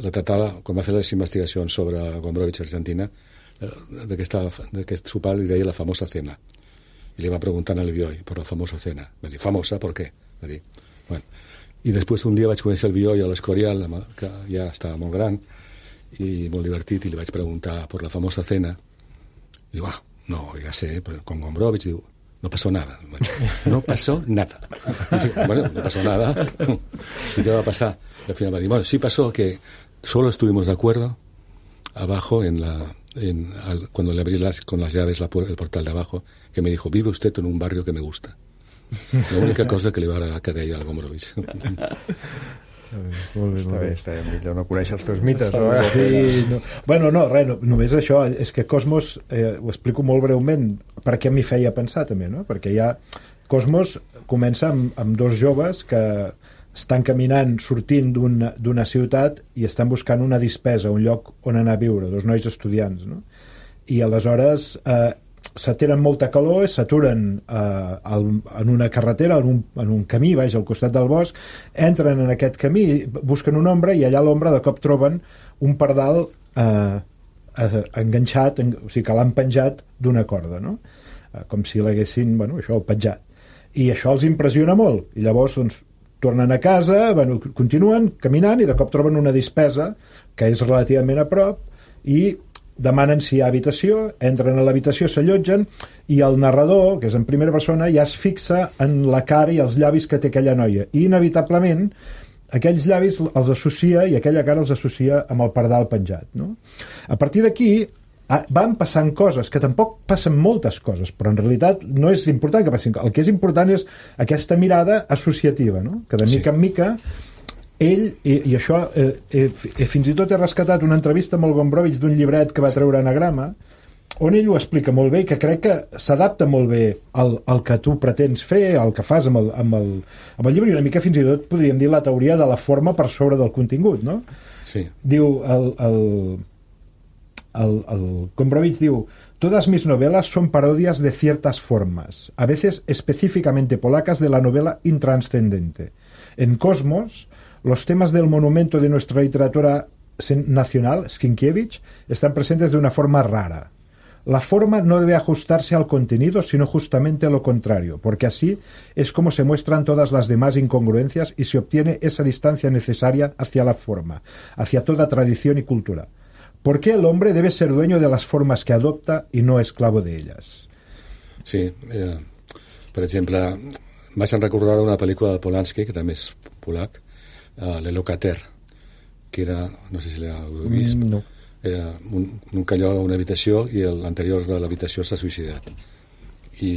la tratava, quan va fer les investigacions sobre Gombrowicz a Argentina, d'aquest sopar li deia la famosa cena. I li va preguntar al Bioy per la famosa cena. Va dir, famosa, per què? Va dir, bueno... I després un dia vaig conèixer el Bioy a l'Escorial, que ja estava molt gran i molt divertit, i li vaig preguntar per la famosa cena, i diu, ah, no, ja sé, con Gombrowicz, diu, no pasó nada. No pasó nada. Y digo, bueno, no pasó nada. Sí que va a pasar. Y al final va a decir, bueno, sí pasó que solo estuvimos de acuerdo abajo en la... En, al, cuando le abrí las, con las llaves la, el portal de abajo, que me dijo, vive usted en un barrio que me gusta. La única cosa que li va agradar que deia el Gombrowicz. Molt bé, Està molt bé, bé. està bé, millor no conèixer els teus mites, no? Sí, no. Bueno, no, res, no, només això, és que Cosmos, eh, ho explico molt breument, perquè m'hi feia pensar també, no? Perquè ja Cosmos comença amb, amb dos joves que estan caminant, sortint d'una d'una ciutat i estan buscant una dispesa, un lloc on anar a viure, dos nois estudiants, no? I aleshores eh, se tenen molta calor, s'aturen eh, al, en una carretera, en un, en un camí, vaja, al costat del bosc, entren en aquest camí, busquen una ombra i allà a l'ombra de cop troben un pardal eh, eh, enganxat, en, o sigui que l'han penjat d'una corda, no? Eh, com si l'haguessin, bueno, això, penjat. I això els impressiona molt, i llavors, doncs, tornen a casa, bueno, continuen caminant i de cop troben una dispesa que és relativament a prop i demanen si hi ha habitació, entren a l'habitació, s'allotgen i el narrador, que és en primera persona, ja es fixa en la cara i els llavis que té aquella noia i inevitablement aquells llavis els associa i aquella cara els associa amb el pardal penjat, no? A partir d'aquí van passant coses, que tampoc passen moltes coses, però en realitat no és important que passin. El que és important és aquesta mirada associativa, no? Que de mica sí. en mica ell, i, i això eh, eh, fins i tot he rescatat una entrevista amb el Gombrowicz d'un llibret que va treure Anagrama, on ell ho explica molt bé i que crec que s'adapta molt bé al, al que tu pretens fer, al que fas amb el, amb, el, amb el llibre, i una mica fins i tot podríem dir la teoria de la forma per sobre del contingut, no? Sí. Diu el, el, el, el Gombrowicz diu: todas mis novelas son parodias de ciertas formas, a veces específicamente polacas de la novela intranscendente. En Cosmos, los temas del monumento de nuestra literatura nacional, Sienkiewicz, están presentes de una forma rara. La forma no debe ajustarse al contenido, sino justamente lo contrario, porque así es como se muestran todas las demás incongruencias y se obtiene esa distancia necesaria hacia la forma, hacia toda tradición y cultura. ¿Por qué el hombre debe ser dueño de las formas que adopta y no esclavo de ellas? Sí, eh, per exemple, vaig recordar una pel·lícula de Polanski, que també és polac, uh, Le Locater, que era, no sé si l'heu vist, mm, no. era un, un calló a una habitació i l'anterior de l'habitació s'ha suïcidat. I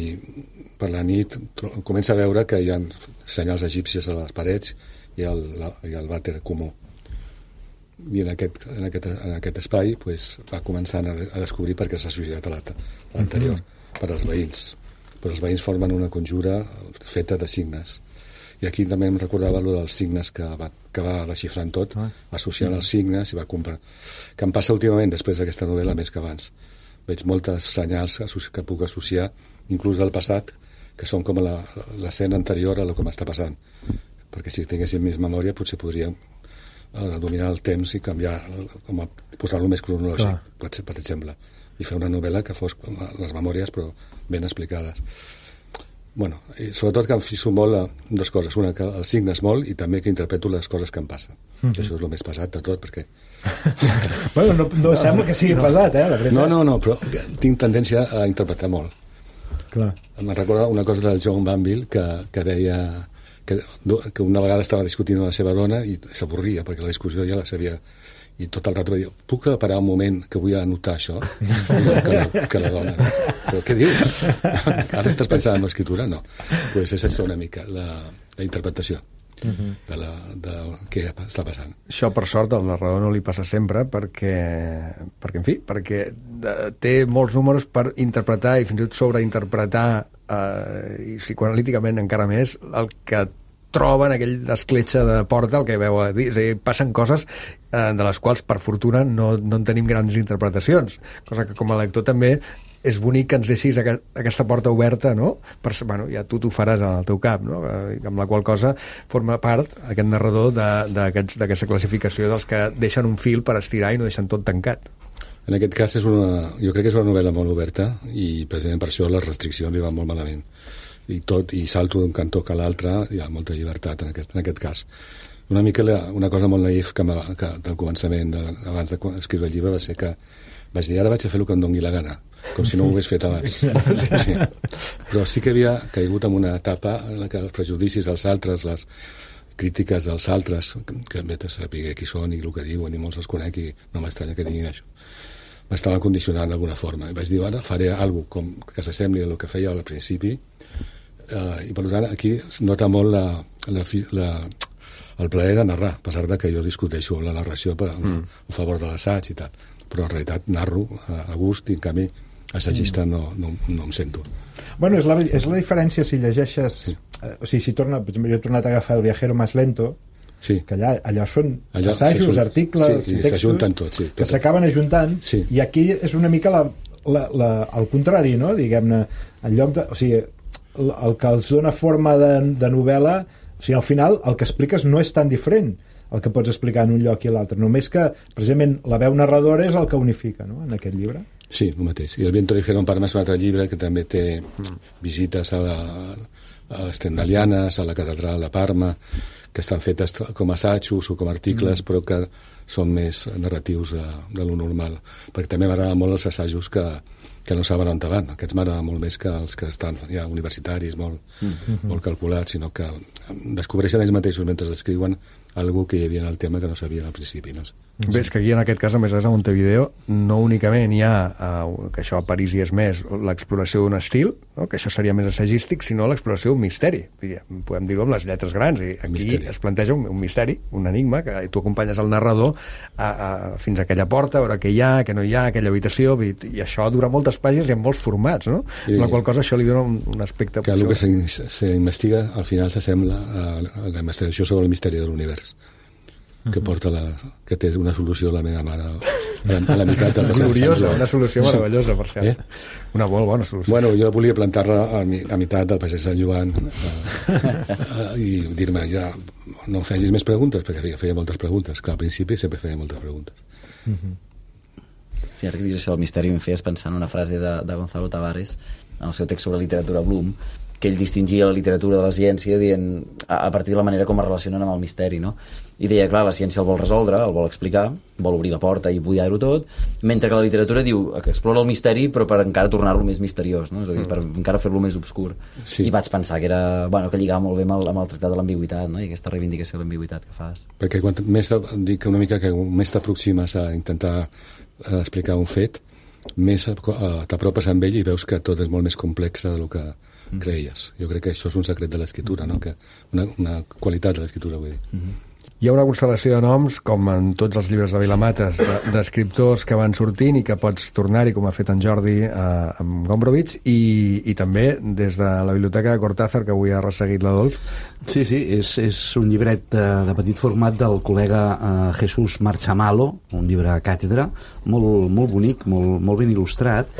per la nit comença a veure que hi ha senyals egípcies a les parets i el, la, i el vàter comú. I en aquest, en aquest, en aquest espai pues, va començant a, a descobrir per què s'ha suïcidat l'anterior, mm-hmm. per als veïns. Però els veïns formen una conjura feta de signes. I aquí també em recordava allò dels signes que va, que va desxifrant tot, ah. associant els signes i va comprar. Que em passa últimament, després d'aquesta novel·la, més que abans. Veig moltes senyals que puc associar, inclús del passat, que són com l'escena anterior a el que m'està passant. Perquè si tinguéssim més memòria potser podríem eh, dominar el temps i canviar, com a posar-lo més cronològic, per, per exemple. I fer una novel·la que fos les memòries però ben explicades. Bueno, i sobretot que em fixo molt a dues coses. Una, que els signes molt, i també que interpreto les coses que em passen. Mm-hmm. Això és el més pesat de tot, perquè... bueno, no, no sembla que sigui no. pesat, eh? La veritat. No, no, no, però tinc tendència a interpretar molt. Clar. Em recorda una cosa del John Banville que, que deia que, que una vegada estava discutint amb la seva dona i s'avorria, perquè la discussió ja la sabia. I tot el rato va dir, puc parar un moment que vull anotar això? que, la, que la dona, però què dius? Ara estàs pensant en l'escriptura? No. Pues és això una mica, la, la interpretació uh-huh. de, la, de què està passant. Això, per sort, al narrador no li passa sempre perquè, perquè en fi, perquè té molts números per interpretar i fins i tot sobreinterpretar eh, i psicoanalíticament encara més el que troba en aquell escletxa de porta el que veu a dir. És a dir, passen coses eh, de les quals, per fortuna, no, no en tenim grans interpretacions. Cosa que, com a lector, també és bonic que ens deixis aquest, aquesta porta oberta, no? Per, bueno, ja tu t'ho faràs al teu cap, no? Eh, amb la qual cosa forma part, aquest narrador, d'aquesta classificació dels que deixen un fil per estirar i no deixen tot tancat. En aquest cas, és una, jo crec que és una novel·la molt oberta i, precisament per això, les restriccions li van molt malament. I tot, i salto d'un cantó que a l'altre, hi ha molta llibertat en aquest, en aquest cas. Una mica la, una cosa molt naïf que, que del començament, de, abans d'escriure el llibre, va ser que vaig dir, ara vaig a fer el que em doni la gana, com si no ho hagués fet abans. Sí. Però sí que havia caigut en una etapa en la que els prejudicis dels altres, les crítiques dels altres, que em ve a saber qui són i el que diuen, i molts els conec i no m'estranya que diguin això, m'estaven condicionant d'alguna forma. I vaig dir, ara faré alguna com que s'assembli al que feia al principi. Uh, i per tant aquí nota molt la, la, la, el plaer de narrar, a pesar de que jo discuteixo la narració per, mm. a favor de l'assaig i tal, però en realitat narro a gust i en canvi assagista no, no, no em sento. Bueno, és la, és la diferència si llegeixes... Sí. Eh, o sigui, si torna, per exemple, jo he tornat a agafar El viajero más lento, sí. que allà, allà són allà assajos, articles, sí, textos, tot, sí, tot. que s'acaben ajuntant, sí. I aquí és una mica la, la, la, el contrari, no? Diguem-ne, en lloc de... O sigui, el, el que els dona forma de, de novel·la, o sigui, al final el que expliques no és tan diferent el que pots explicar en un lloc i l'altre, només que precisament la veu narradora és el que unifica, no?, en aquest llibre. Sí, el mateix. I El viento ligero en Parma és un altre llibre que també té visites a, la, a les Stendhalianes, a la catedral de Parma, que estan fetes com assajos o com articles, mm. però que són més narratius de, de lo normal. Perquè també m'agraden molt els assajos que, que no saben on van. Aquests m'agraden molt més que els que estan ja universitaris, molt, mm-hmm. molt calculats, sinó que descobreixen ells mateixos mentre descriuen algú que hi havia en el tema que no sabien al principi. No? Bé, és que aquí en aquest cas, a més a Montevideo, no únicament hi ha, uh, que això a París hi és més, l'exploració d'un estil, no? Que això seria més assagístic, sinó l'exploració d'un misteri. Podem dir-ho amb les lletres grans. I aquí misteri. Es planteja un, un misteri, un enigma, que tu acompanyes el narrador a, a, fins a aquella porta, a veure què hi ha, què no hi ha, aquella habitació, i, i això dura moltes pàgines i en molts formats, no? I, amb la qual cosa això li dona un, un aspecte... Que el que s'investiga al final s'assembla a, a la investigació sobre el misteri de l'univers, que porta la, que té una solució la meva mare a la, a la meitat del passeig. Gloriosa, una solució meravellosa, per cert. Eh? Una molt bona solució. Bueno, jo volia plantar-la a, a meitat del passeig Sant Joan a, a, i dir-me, ja, no facis més preguntes, perquè feia, feia moltes preguntes. Clar, al principi sempre feia moltes preguntes. Mm-hmm. Sí, ara que dius això del misteri em feies pensar en una frase de, de Gonzalo Tavares en el seu text sobre literatura Bloom, que ell distingia la literatura de la ciència dient, a, a partir de la manera com es relacionen amb el misteri, no? I deia, clar, la ciència el vol resoldre, el vol explicar, vol obrir la porta i buidar-ho tot, mentre que la literatura diu que explora el misteri però per encara tornar-lo més misteriós, no? És a dir, per encara fer-lo més obscur. Sí. I vaig pensar que era, bueno, que lligava molt bé amb el, amb el tractat de l'ambigüitat, no? I aquesta reivindicació de l'ambigüitat que fas. Perquè quan més dic una mica que més t'aproximes a intentar explicar un fet, més t'apropes amb ell i veus que tot és molt més complex del que creies. Jo crec que això és un secret de l'escriptura, no? Que una, una qualitat de l'escriptura, vull dir. Mm-hmm. Hi ha una constel·lació de noms, com en tots els llibres de Vilamates, d'escriptors que van sortint i que pots tornar-hi, com ha fet en Jordi eh, amb Gombrowicz, i, i també des de la biblioteca de Cortázar, que avui ha resseguit l'Adolf. Sí, sí, és, és un llibret de, de petit format del col·lega eh, Jesús Marchamalo, un llibre a càtedra, molt, molt bonic, molt, molt ben il·lustrat,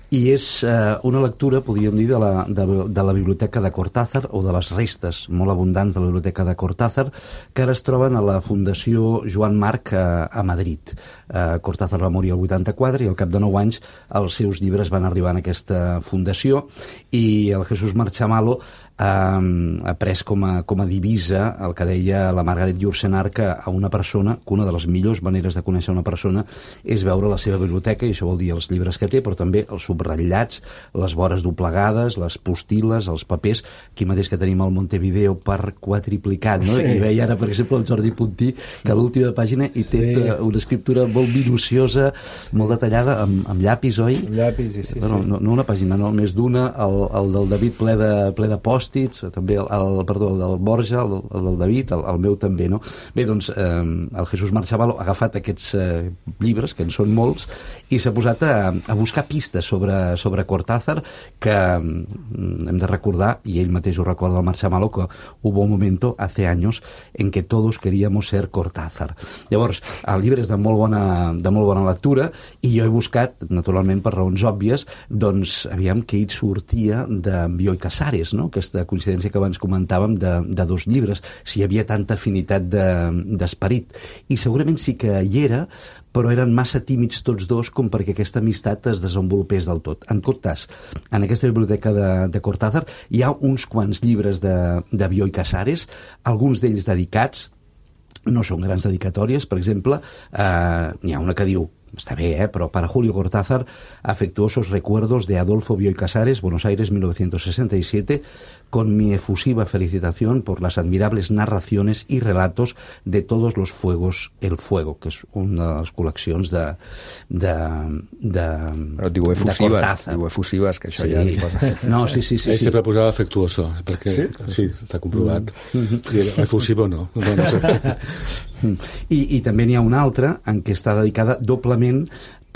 i és eh, una lectura, podríem dir, de la, de, de la biblioteca de Cortázar, o de les restes molt abundants de la biblioteca de Cortázar, que ara es troben a la Fundació Joan Marc a, a Madrid. Eh, Cortázar va morir el vuitanta-quatre i al cap de nou anys els seus llibres van arribar en aquesta fundació, i el Jesús Marchamalo Um, ha pres com a, com a divisa el que deia la Margaret Yourcenar, que a una persona, que una de les millors maneres de conèixer una persona és veure la seva biblioteca, i això vol dir els llibres que té, però també els subratllats, les vores doblegades, les postil·les, els papers. Aquí mateix que tenim el Montevideo per quadriplicat, no? Sí. I veia ara, per exemple, el Jordi Puntí, que a l'última pàgina hi té sí. una escriptura molt minuciosa, molt detallada, amb, amb llapis, oi? Amb llapis, sí, sí. Bueno, no, no una pàgina, no, més d'una, el, el del David ple de, ple de post, també el, el, perdó, el del Borja, el, el del David, el, el meu també, no? Bé, doncs, eh, el Jesús Marchamalo ha agafat aquests eh, llibres, que en són molts, i s'ha posat a, a buscar pistes sobre, sobre Cortázar, que mm, hem de recordar, i ell mateix ho recorda el Marchamalo, que hubo un momento, hace años, en que todos queríamos ser Cortázar. Llavors, el llibre és de molt bona, de molt bona lectura, i jo he buscat, naturalment per raons òbvies, doncs, aviam què hi sortia de Bioy Casares, no? Aquesta de coincidència que abans comentàvem de, de dos llibres, si hi havia tanta afinitat d'esperit. De, I segurament sí que hi era, però eren massa tímids tots dos com perquè aquesta amistat es desenvolupés del tot. En tot cas, en aquesta biblioteca de, de Cortázar hi ha uns quants llibres de, de Bioy Casares, alguns d'ells dedicats, no són grans dedicatòries, per exemple, eh, n'hi ha una que diu está bé, ¿eh? Pero para Julio Cortázar, afectuosos recuerdos de Adolfo Bioy Casares, Buenos Aires, mil novecientos sesenta y siete, con mi efusiva felicitación por las admirables narraciones y relatos de Todos los fuegos, el fuego, que és una de les col·leccions de, de, de, Però diu de efusives, Cortázar. diu efusives, que això Sí. ja li posa... No, sí, sí, sí. Ell sí. sempre posava afectuoso, perquè sí, està comprovat. I efusivo no. no, no sé. I, i també n'hi ha una altra en què està dedicada doblement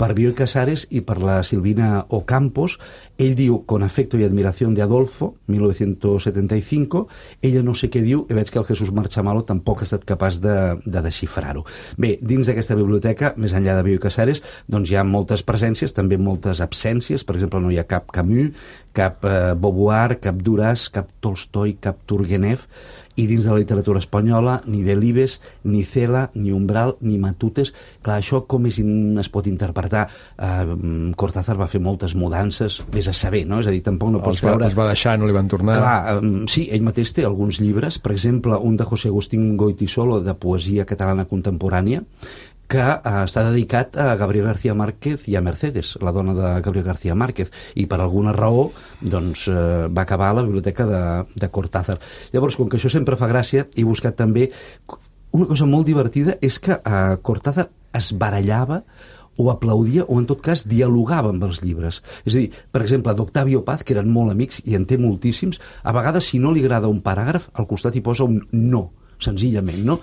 per Bioy Casares i per la Silvina Ocampos. Ell diu, con afecto y admiración de Adolfo, mil novecientos setenta y cinco. Ella no sé què diu, i veig que el Jesús Marchamalo tampoc ha estat capaç de, de desxifrar-ho. Bé, dins d'aquesta biblioteca, més enllà de Bioy Casares, doncs hi ha moltes presències, també moltes absències. Per exemple, no hi ha cap Camus, cap eh, Beauvoir, cap Duras, cap Tolstoi, cap Turgenev, i dins de la literatura espanyola ni Delibes, ni Cela, ni Umbral, ni Matutes. Clar, això com és, es pot interpretar? Uh, Cortázar va fer moltes mudances, vés a saber, no? És a dir, tampoc no pots Els va, veure... els va deixar, no li van tornar. Clar, um, sí, ell mateix té alguns llibres, per exemple, un de José Agustín Goytisolo, de poesia catalana contemporània, que uh, està dedicat a Gabriel García Márquez i a Mercedes, la dona de Gabriel García Márquez, i per alguna raó doncs, uh, va acabar a la biblioteca de, de Cortázar. Llavors, com que això sempre fa gràcia, he buscat també... Una cosa molt divertida és que uh, Cortázar es barallava o aplaudia o en tot cas dialogava amb els llibres. És a dir, per exemple, d'Octavio Paz, que eren molt amics i en té moltíssims, a vegades si no li agrada un paràgraf, al costat hi posa un no, senzillament, no?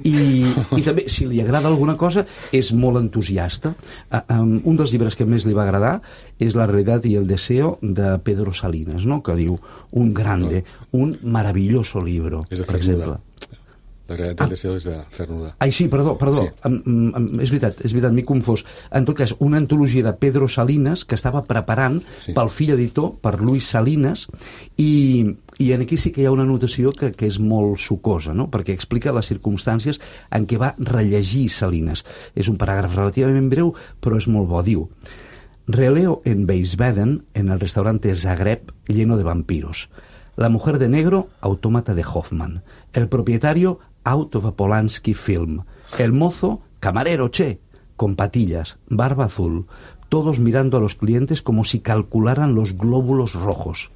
I, i també, si li agrada alguna cosa, és molt entusiasta. Uh, um, un dels llibres que més li va agradar és La realitat i el deseo, de Pedro Salinas, no? Que diu, un grande, un maravilloso libro, És de per Cernuda. exemple. La realitat del deseo és de Cernuda. Ai, sí, perdó, perdó. Sí. Em, em, és veritat, és veritat, m'he confós. En tot cas, una antologia de Pedro Salinas que estava preparant Sí. pel fill editor, per Luis Salinas, i, i en aquí sí que hi ha una anotació que, que és molt sucosa, no? Perquè explica les circumstàncies en què va rellegir Salinas. És un paràgraf relativament breu, però és molt bo. Diu: releo en Wiesbaden, en el restaurante Zagreb, lleno de vampiros. La mujer de negro, autómata de Hoffman. El propietario, out of a Polanski film. El mozo, camarero, che, con patillas, barba azul, todos mirando a los clientes como si calcularan los glóbulos rojos.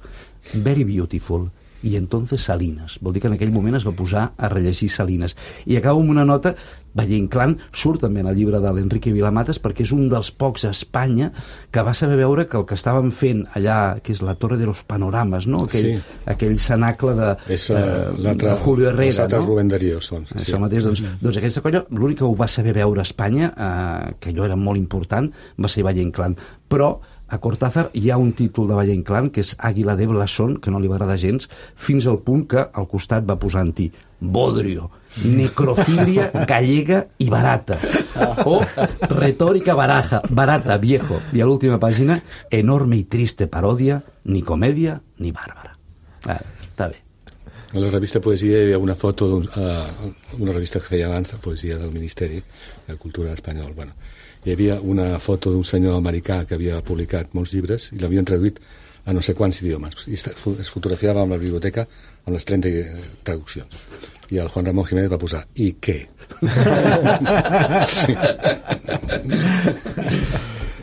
Very beautiful. I entonces Salinas. Vol dir que en aquell moment es va posar a rellegir Salinas. I acabo amb una nota, Valle Inclán surt també en el llibre de l'Enrique Vilamatas, perquè és un dels pocs a Espanya que va saber veure que el que estaven fent allà, que és la Torre de los Panoramas, no? Aquell, Sí. aquell cenacle de, És uh, eh, l'altre... de Julio Herrera, els altres no? Rubén Darío són. Sí. Això mateix, doncs, doncs aquesta colla, l'únic que ho va saber veure a Espanya, eh, que allò era molt important, va ser Valle Inclán. Però a Cortázar hi ha un títol de Valle Inclán, que és Águila de Blasón, que no li va agradar gens, fins al punt que al costat va posar en ti Bodrio, necrofilia gallega i barata, o retòrica baraja, barata, viejo. I a l'última pàgina, enorme i triste paròdia, ni comèdia ni bàrbara. Ah, està bé. A la revista Poesia hi havia una foto d'una uh, revista que feia abans de poesia del Ministeri de Cultura espanyol. Bueno, hi havia una foto d'un senyor americà que havia publicat molts llibres i l'havien traduït a no sé quants idiomes. I es fotografiava amb la biblioteca amb les trenta traduccions. I el Juan Ramón Jiménez va posar «I què?» Sí.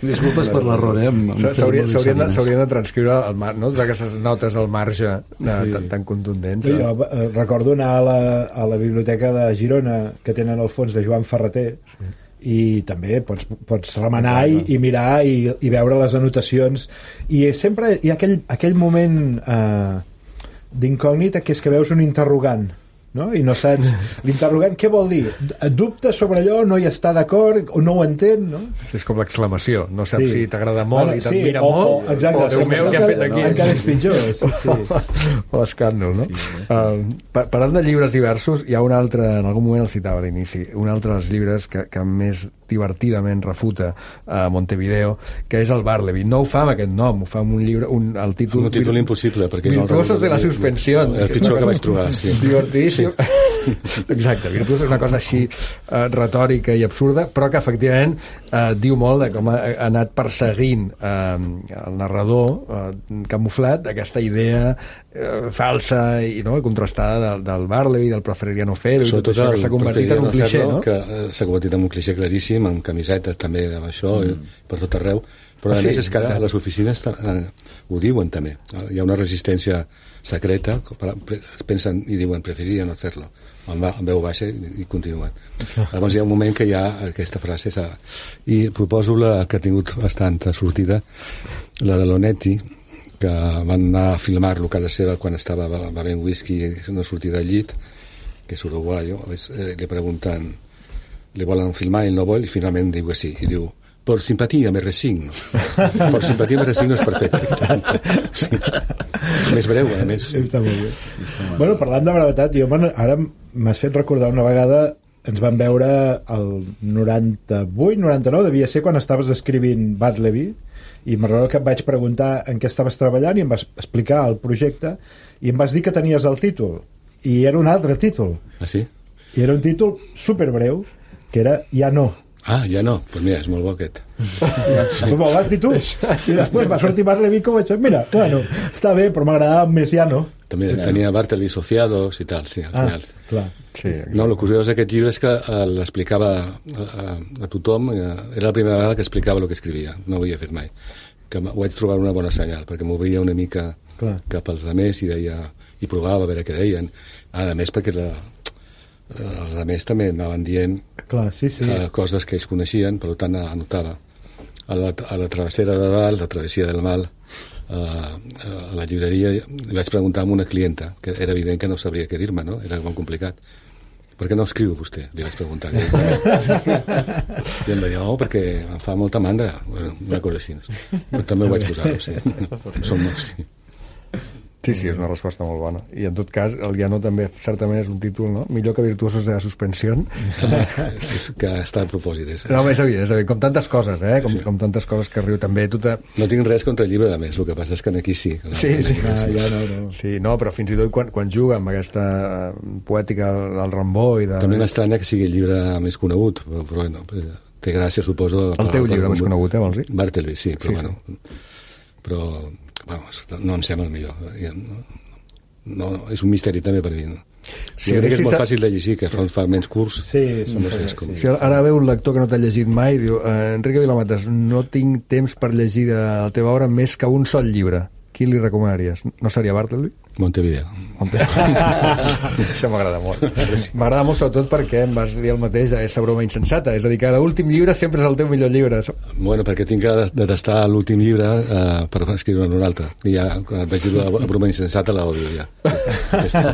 Disculpes per l'error, eh? amb- amb S'haurien Fermón i Salinas. de transcriure el mar, no? Aquestes notes al marge de, Sí. tan, tan contundents. Jo Eh? eh, recordo anar a la, a la biblioteca de Girona, que tenen el fons de Joan Ferreter, sí. I també pots, pots remenar i, i mirar i, i veure les anotacions, i sempre hi ha aquell, aquell moment eh, d'incògnita, que és que veus un interrogant, no? I no saps l'interrogant què vol dir, dubta sobre allò, no hi està d'acord o no ho entén, no? És com l'exclamació, no saps Sí. si t'agrada molt Bueno, i sí, t'admira o- molt, o- exacte, o Déu és meu, que què ha fet aquí? encara és pitjor, sí, sí. O l'escàndol, no? Sí, sí, Uh, pa- parlant de llibres diversos, hi ha un altre, en algun moment el citava a l'inici, un altre dels llibres que, que més divertidament refuta a Montevideo, que és el Barleby. No ho fa amb aquest nom, ho fa amb un llibre, un, el títol... Un títol impossible, perquè no el Virtuosos de la recordo. suspensión. El pitjor que vaig trobar, sí. Divertidíssim. Sí. Exacte, Virtuosos és una cosa així uh, retòrica i absurda, però que efectivament uh, diu molt de com ha, ha anat perseguint uh, el narrador uh, camuflat d'aquesta idea uh, falsa i, no, i contrastada del, del Barleby, del Preferiria no fer-ho, i tot Sobretot això que el s'ha convertit en un Preferiria cliché, no no? fer-lo, que eh, s'ha convertit en un cliché claríssim, tenim, amb camisetes també, amb això, mm. per tot arreu, però a sí, més és que ara a les oficines eh, ho diuen també. Hi ha una resistència secreta, es pensen i diuen preferiria no fer-lo, amb, amb veu baixa i, i continuen. Llavors hi ha un moment que hi ha aquesta frase s'ha... i proposo la que ha tingut bastanta sortida, la de l'Onetti, que van anar a filmar-lo a casa seva quan estava bevent whisky i no sortia del llit, que és uruguayo, eh, li pregunten, li volen filmar, ell no vol, i finalment diu que sí, i diu, por simpatia me resigno. Por simpatia me resigno és perfecte. Sí. Més breu, a més. Està molt bé. Bueno, parlant de brevetat, jo ara m'has fet recordar una vegada, ens vam veure el noranta-vuit, noranta-nou, devia ser quan estaves escrivint Bartleby, i me'n recordo que et vaig preguntar en què estaves treballant i em vas explicar el projecte i em vas dir que tenies el títol, i era un altre títol. Ah, sí? I era un títol superbreu, que era Ja no. Ah, ja no, doncs pues mira, és molt bo aquest. Sí. Me'l vas dir tu, i després va sortir Bartleby com això, mira, bueno, està bé, però m'agradava més Ja no. També ja tenia Bartleby Associados i tal, sí, al ah, final. Clar. Sí, no, el curiós d'aquest llibre és que uh, l'explicava a, a, a tothom, uh, era la primera vegada que explicava el que escrivia, no ho havia fet mai, que ho vaig trobar una bona senyal, perquè m'obria una mica clar. Cap als altres i deia, i provava a veure què deien, a més perquè la, els altres també anaven dient clar, sí, sí. Uh, coses que ells coneixien, per tant anotava a la, a la travessera de dalt, la travessia del mal, uh, a la llibreria li vaig preguntar a una clienta que era evident que no sabria què dir-me, no? Era molt complicat. Per què no escriu vostè? Li vaig preguntar. I em va dir, oh, perquè em fa molta mandra. Bueno, una cosa així. Però també ho vaig posar, sí. Som molts, sí. Sí, sí, és una resposta molt bona. I en tot cas, el Ja no també certament és un títol, no? Millor que Virtuosos de la Suspensió. És que està a propòsit. És, no, és evident, és evident. Com tantes coses, eh? Com, sí. com tantes coses que riu també. Tu te... No tinc res contra el llibre, a més. El que passa és que aquí sí. Que sí, sí. Ah, ja no, no. Sí, no, però fins i tot quan, quan juga amb aquesta poètica del Rambó i de... També m'estranya que sigui el llibre més conegut, però, però bueno, té gràcia, suposo... El teu llibre més conegut, eh, vols dir? Bartleby, sí, però sí, bueno... Sí. Però... Vamos, no em sembla el millor. No, no, és un misteri també per mi. No? Sí, jo crec que és molt fàcil de llegir, que fa uns fragments curts. Sí, no sé, és com... sí. Ara ve un lector que no t'ha llegit mai, diu, eh, Enrique Vilamatas, no tinc temps per llegir de la teva obra més que un sol llibre. Qui li recomanaries? No seria Bartleby? Montevideo. Montevideo. Això m'agrada molt. M'agrada molt sobretot perquè em vas dir el mateix, és la broma insensata, és a dir, que l'últim llibre sempre és el teu millor llibre. Bueno, perquè tinc que detestar l'últim llibre eh, per escriure-ne un altre. I ja, quan vaig dir la broma insensata, la odio ja. Sí,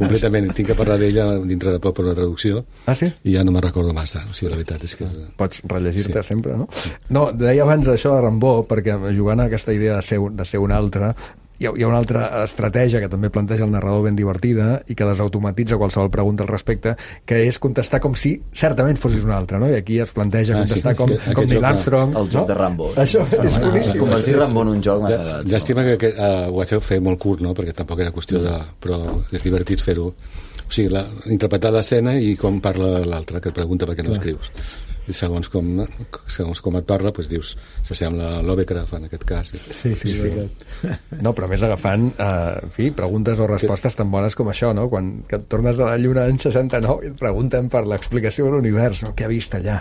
completament. Tinc que parlar d'ella dintre de poc per una traducció. Ah, sí? I ja no me'n recordo massa. O sigui, la veritat és que... És... Pots rellegir-te sí. sempre, no? No, deia abans això de Rambó, perquè jugant a aquesta idea de ser, de ser un altre, hi ha, hi ha una altra estratègia que també planteja el narrador ben divertida i que desautomatitza qualsevol pregunta al respecte, que és contestar com si certament fossis un altre, no? I aquí es planteja ah, contestar sí, com, que, com Neil Armstrong. El joc no? de Rambo. Això és, és boníssim. Convertir Rambo en un joc m'ha agradat. Llàstima que, que uh, ho vaig fer molt curt, no? Perquè tampoc era qüestió de... Però és divertit fer-ho. O sigui, la, interpretar l'escena i com parla l'altre, que et pregunta per què no escrius. I segons com, segons com et parla, doncs dius, s'assembla a Lovecraft en aquest cas. Sí, sí, sí. No, però a més agafant, eh, en fi, preguntes o respostes tan bones com això, no? Quan que et tornes a la Lluna en seixanta-nou i et pregunten per l'explicació de l'univers, no? Què ha vist allà?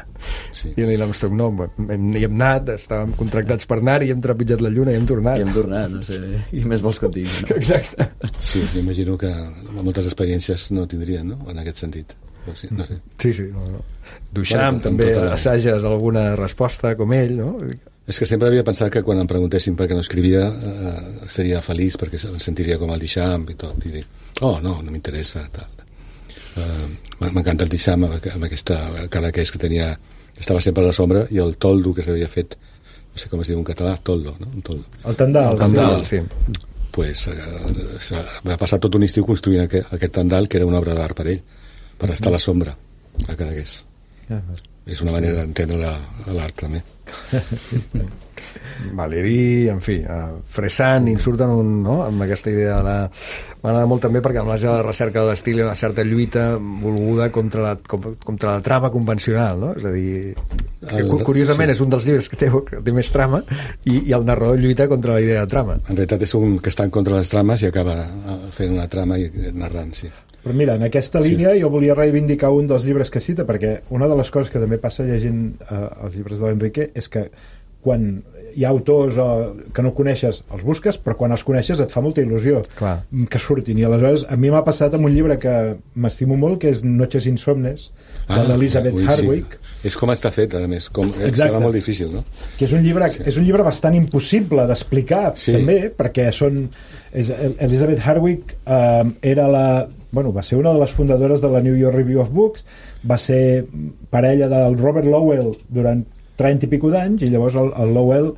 Sí. I Neil Armstrong, no, hem, hi hem anat, estàvem contractats per anar i hem trepitjat la Lluna i hem tornat. I hem tornat, no sé, i més vols que et digui, no? Exacte. Sí, m'imagino que moltes experiències no tindrien, no?, en aquest sentit. Sí, no sé. Sí, sí, no, no. Duchamp, bueno, també la... assages alguna resposta com ell, no? És que sempre havia pensat que quan em preguntessin per què no escrivia eh, seria feliç perquè em sentiria com el Duchamp i tot, i dir, oh, no, no m'interessa, tal. Eh, m'encanta el Duchamp amb aquesta cara que és que tenia, estava sempre a la sombra, i el toldo que s'havia fet, no sé com es diu en català, toldo, no? Un toldo. El tendal. El tendal, sí. Pues, eh, va passar tot un estiu construint aquest, aquest tendal, que era una obra d'art per ell, per estar a la sombra a Cadaqués. Ah, és una manera d'entendre l'art també. Valéry, en fi, uh, Fresant, i surten un, no? amb aquesta idea de la... M'agrada molt també perquè amb la recerca de l'estil hi ha una certa lluita volguda contra la, contra la trama convencional, no? És a dir, que, el, curiosament sí. És un dels llibres que té, que té més trama i, i el narrador lluita contra la idea de trama. En realitat és un que està en contra de les trames i acaba fent una trama i narrant, sí. Però mira, en aquesta línia sí. jo volia reivindicar un dels llibres que cita, perquè una de les coses que també passa llegint eh, els llibres de l'Enrique és que quan hi ha autors o, que no coneixes, els busques, però quan els coneixes et fa molta il·lusió Clar. que surtin. I aleshores a mi m'ha passat amb un llibre que m'estimo molt, que és Noches Insomnes, ah, de l'Elizabeth Hardwick. Sí. És com està fet, a més. Com, serà molt difícil, no? Que és un llibre, sí. és un llibre bastant impossible d'explicar, sí. també, perquè són... És, Elizabeth Hardwick eh, era la... Bueno, va ser una de les fundadores de la New York Review of Books, va ser parella del Robert Lowell durant trenta i pico d'anys, i llavors el, el Lowell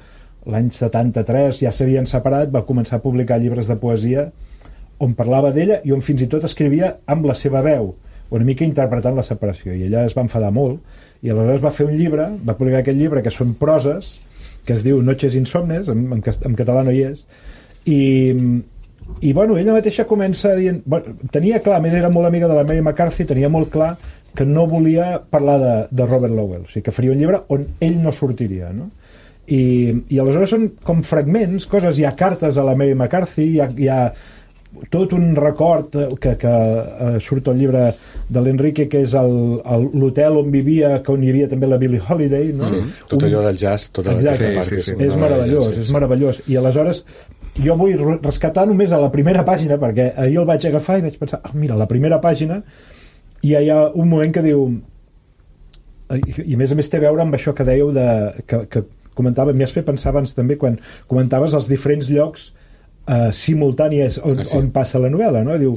l'any setanta-tres ja s'havien separat, va començar a publicar llibres de poesia on parlava d'ella i on fins i tot escrivia amb la seva veu, una mica interpretant la separació, i ella es va enfadar molt i aleshores va fer un llibre, va publicar aquest llibre que són proses, que es diu Noches Insomnes, en, en, en català no hi és, i i bueno, ella mateixa comença dient, bueno, tenia clar, a més era molt amiga de la Mary McCarthy, tenia molt clar que no volia parlar de, de Robert Lowell, o sigui, que faria un llibre on ell no sortiria, no? I, i aleshores són com fragments, coses, hi ha cartes a la Mary McCarthy, hi ha, hi ha tot un record que, que uh, surt al llibre de l'Enrique, que és l'hotel on vivia, que on hi havia també la Billie Holiday, no? Sí, tot un... allò del jazz, tota aquesta part. Sí, sí, sí. És meravellós, sí, sí. és meravellós. I aleshores jo vull rescatar només a la primera pàgina, perquè ahir el vaig agafar i vaig pensar, oh, mira, la primera pàgina, i hi ha un moment que diu, i a més a més té a veure amb això que dèieu de, que, que comentava, m'hi has fet pensar abans també quan comentaves els diferents llocs eh, simultànies on, ah, sí. on passa la novel·la, no? Diu,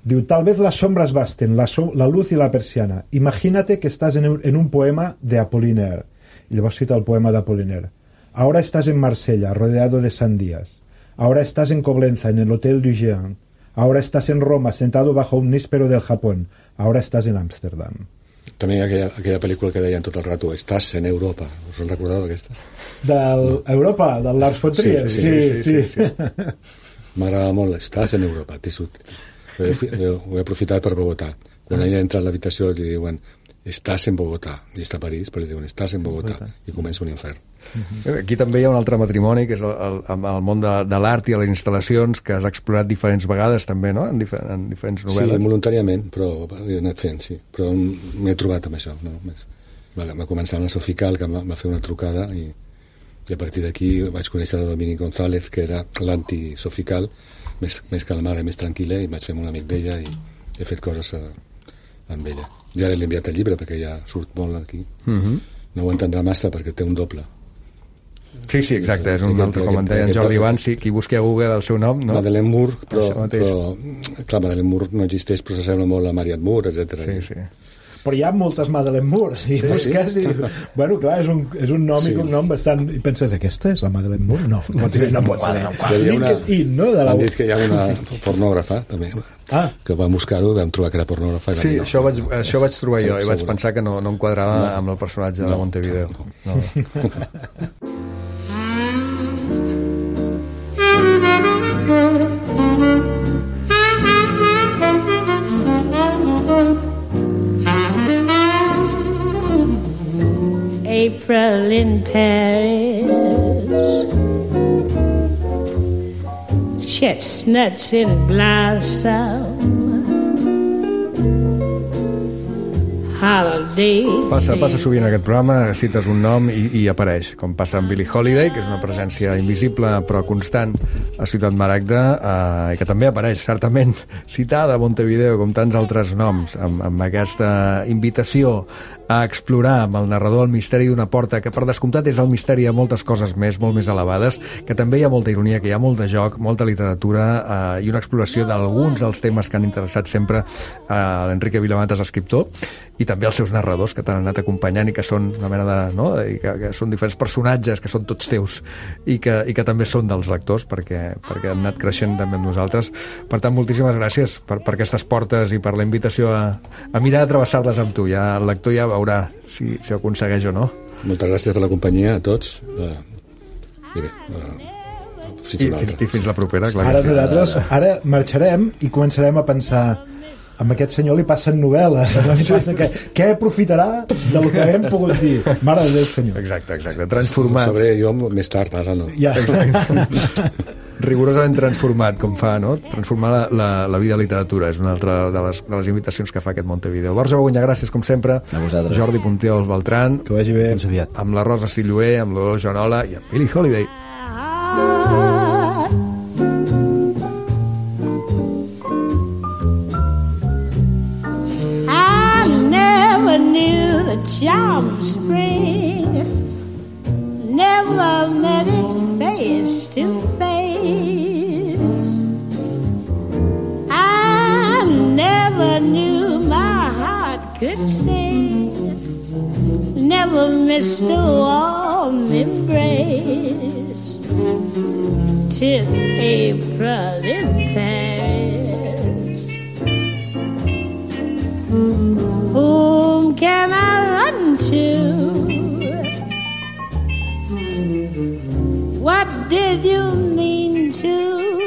diu, tal vez las sombras basten, la, so, la luz y la persiana, imagínate que estás en un, en un poema de Apollinaire, i llavors cita el poema d'Apollinaire, ahora estás en Marsella rodeado de sandías, ahora estás en Coblenza en el Hotel du Géant, ahora estás en Roma sentado bajo un níspero del Japón, ahora estás en Amsterdam. També aquella, aquella pel·lícula que deien tot el rato, estàs en Europa, us en recordeu d'aquesta? D'Europa, no. del Lars von Trier, sí, sí, sí, sí, sí, sí. M'agrada molt, estàs en Europa, ho he, ho he aprofitat per Bogotà, quan ella entra a l'habitació li diuen estàs en Bogotà, i està a París, però li diuen estàs en Bogotà, i comença un infern. Uh-huh. Aquí també hi ha un altre matrimoni, que és el, el, el món de, de l'art i a les instal·lacions, que has explorat diferents vegades també, no? En, difer en diferents novel·les. Sí, voluntàriament, però he anat fent, sí. Però m'he trobat amb això, no? Va, va començar amb la Sofical, que va fer una trucada, i, i a partir d'aquí vaig conèixer la Dominique González, que era l'anti-Sofical, més, més calmada, més tranquil·la, i vaig fer molt amic d'ella, i he fet coses a, amb ella. Jo ara l'he enviat el llibre, perquè ja surt molt aquí. Uh-huh. No ho entendrà massa, perquè té un doble. Sí, sí, exacte, és un altre, com en deia en Jordi Ivan, sí, qui busqui a Google el seu nom, no? Madeleine Moore, però, però clar, Madeleine Moore no existeix, però s'assembla molt a Marianne Moore, etcètera. Sí, sí. Però hi ha moltes Madeleine Moore, i sí, busques sí? i... Bueno, clar, és un, és un nom sí. i un nom bastant... I penses, aquesta és la Madeleine Moore? No, no, sí, no pot ser. LinkedIn, no? De la... Han dit que hi ha una pornògrafa, també, ah. que vam buscar-ho, vam trobar que era pornògrafa. Sí, no, això, vaig, això vaig trobar jo, i vaig pensar que no, no em quadrava no. amb el personatge no. de Montevideo. No. no. April in Paris, chestnuts in blossom, holiday. Passa, passa sovint aquest programa, cites un nom i, i apareix, com passa amb Billie Holiday, que és una presència invisible però constant a Ciutat Maragda, eh, i que també apareix certament citada a Montevideo, com tants altres noms, amb, amb aquesta invitació a explorar amb el narrador el misteri d'una porta, que per descomptat és el misteri de moltes coses més, molt més elevades, que també hi ha molta ironia, que hi ha molt de joc, molta literatura eh, i una exploració d'alguns dels temes que han interessat sempre a eh, l'Enrique Vilamatas, escriptor, i també els seus narradors, que t'han anat acompanyant i que són una mena de... No? I que, que són diferents personatges, que són tots teus i que, i que també són dels lectors, perquè, perquè han anat creixent també amb nosaltres. Per tant, moltíssimes gràcies per, per aquestes portes i per la invitació a, a mirar de travessar-les amb tu. Ja, el lector ja veurà si, si ho aconsegueix o no. Moltes gràcies per la companyia a tots. Uh, I bé, uh, fins I, fins, I fins la propera, clar. Ara sí. nosaltres ara marxarem i començarem a pensar... amb aquest senyor li passen novel·les, no li passa que, què aprofitarà del que hem pogut dir? Mare de Déu, senyor. Exacte, exacte, transformat. Ho sabré jo més tard, ara no. Ja. rigorosament transformat, com fa, no? Transformar la, la, la vida a literatura és una altra de les, de les invitacions que fa aquest Montevideo. Borja Bagunyà, gràcies, com sempre. A vosaltres. Jordi Punteol Beltran. Que vagi bé. Fins aviat. Amb la Rosa Silluer, amb l'Olor Joanola i amb Billie Holiday. I never knew the charm of spring, never met it face to face. I never knew my heart could sing, never missed a warm embrace, till April in Paris. Whom can I run to? What did you mean to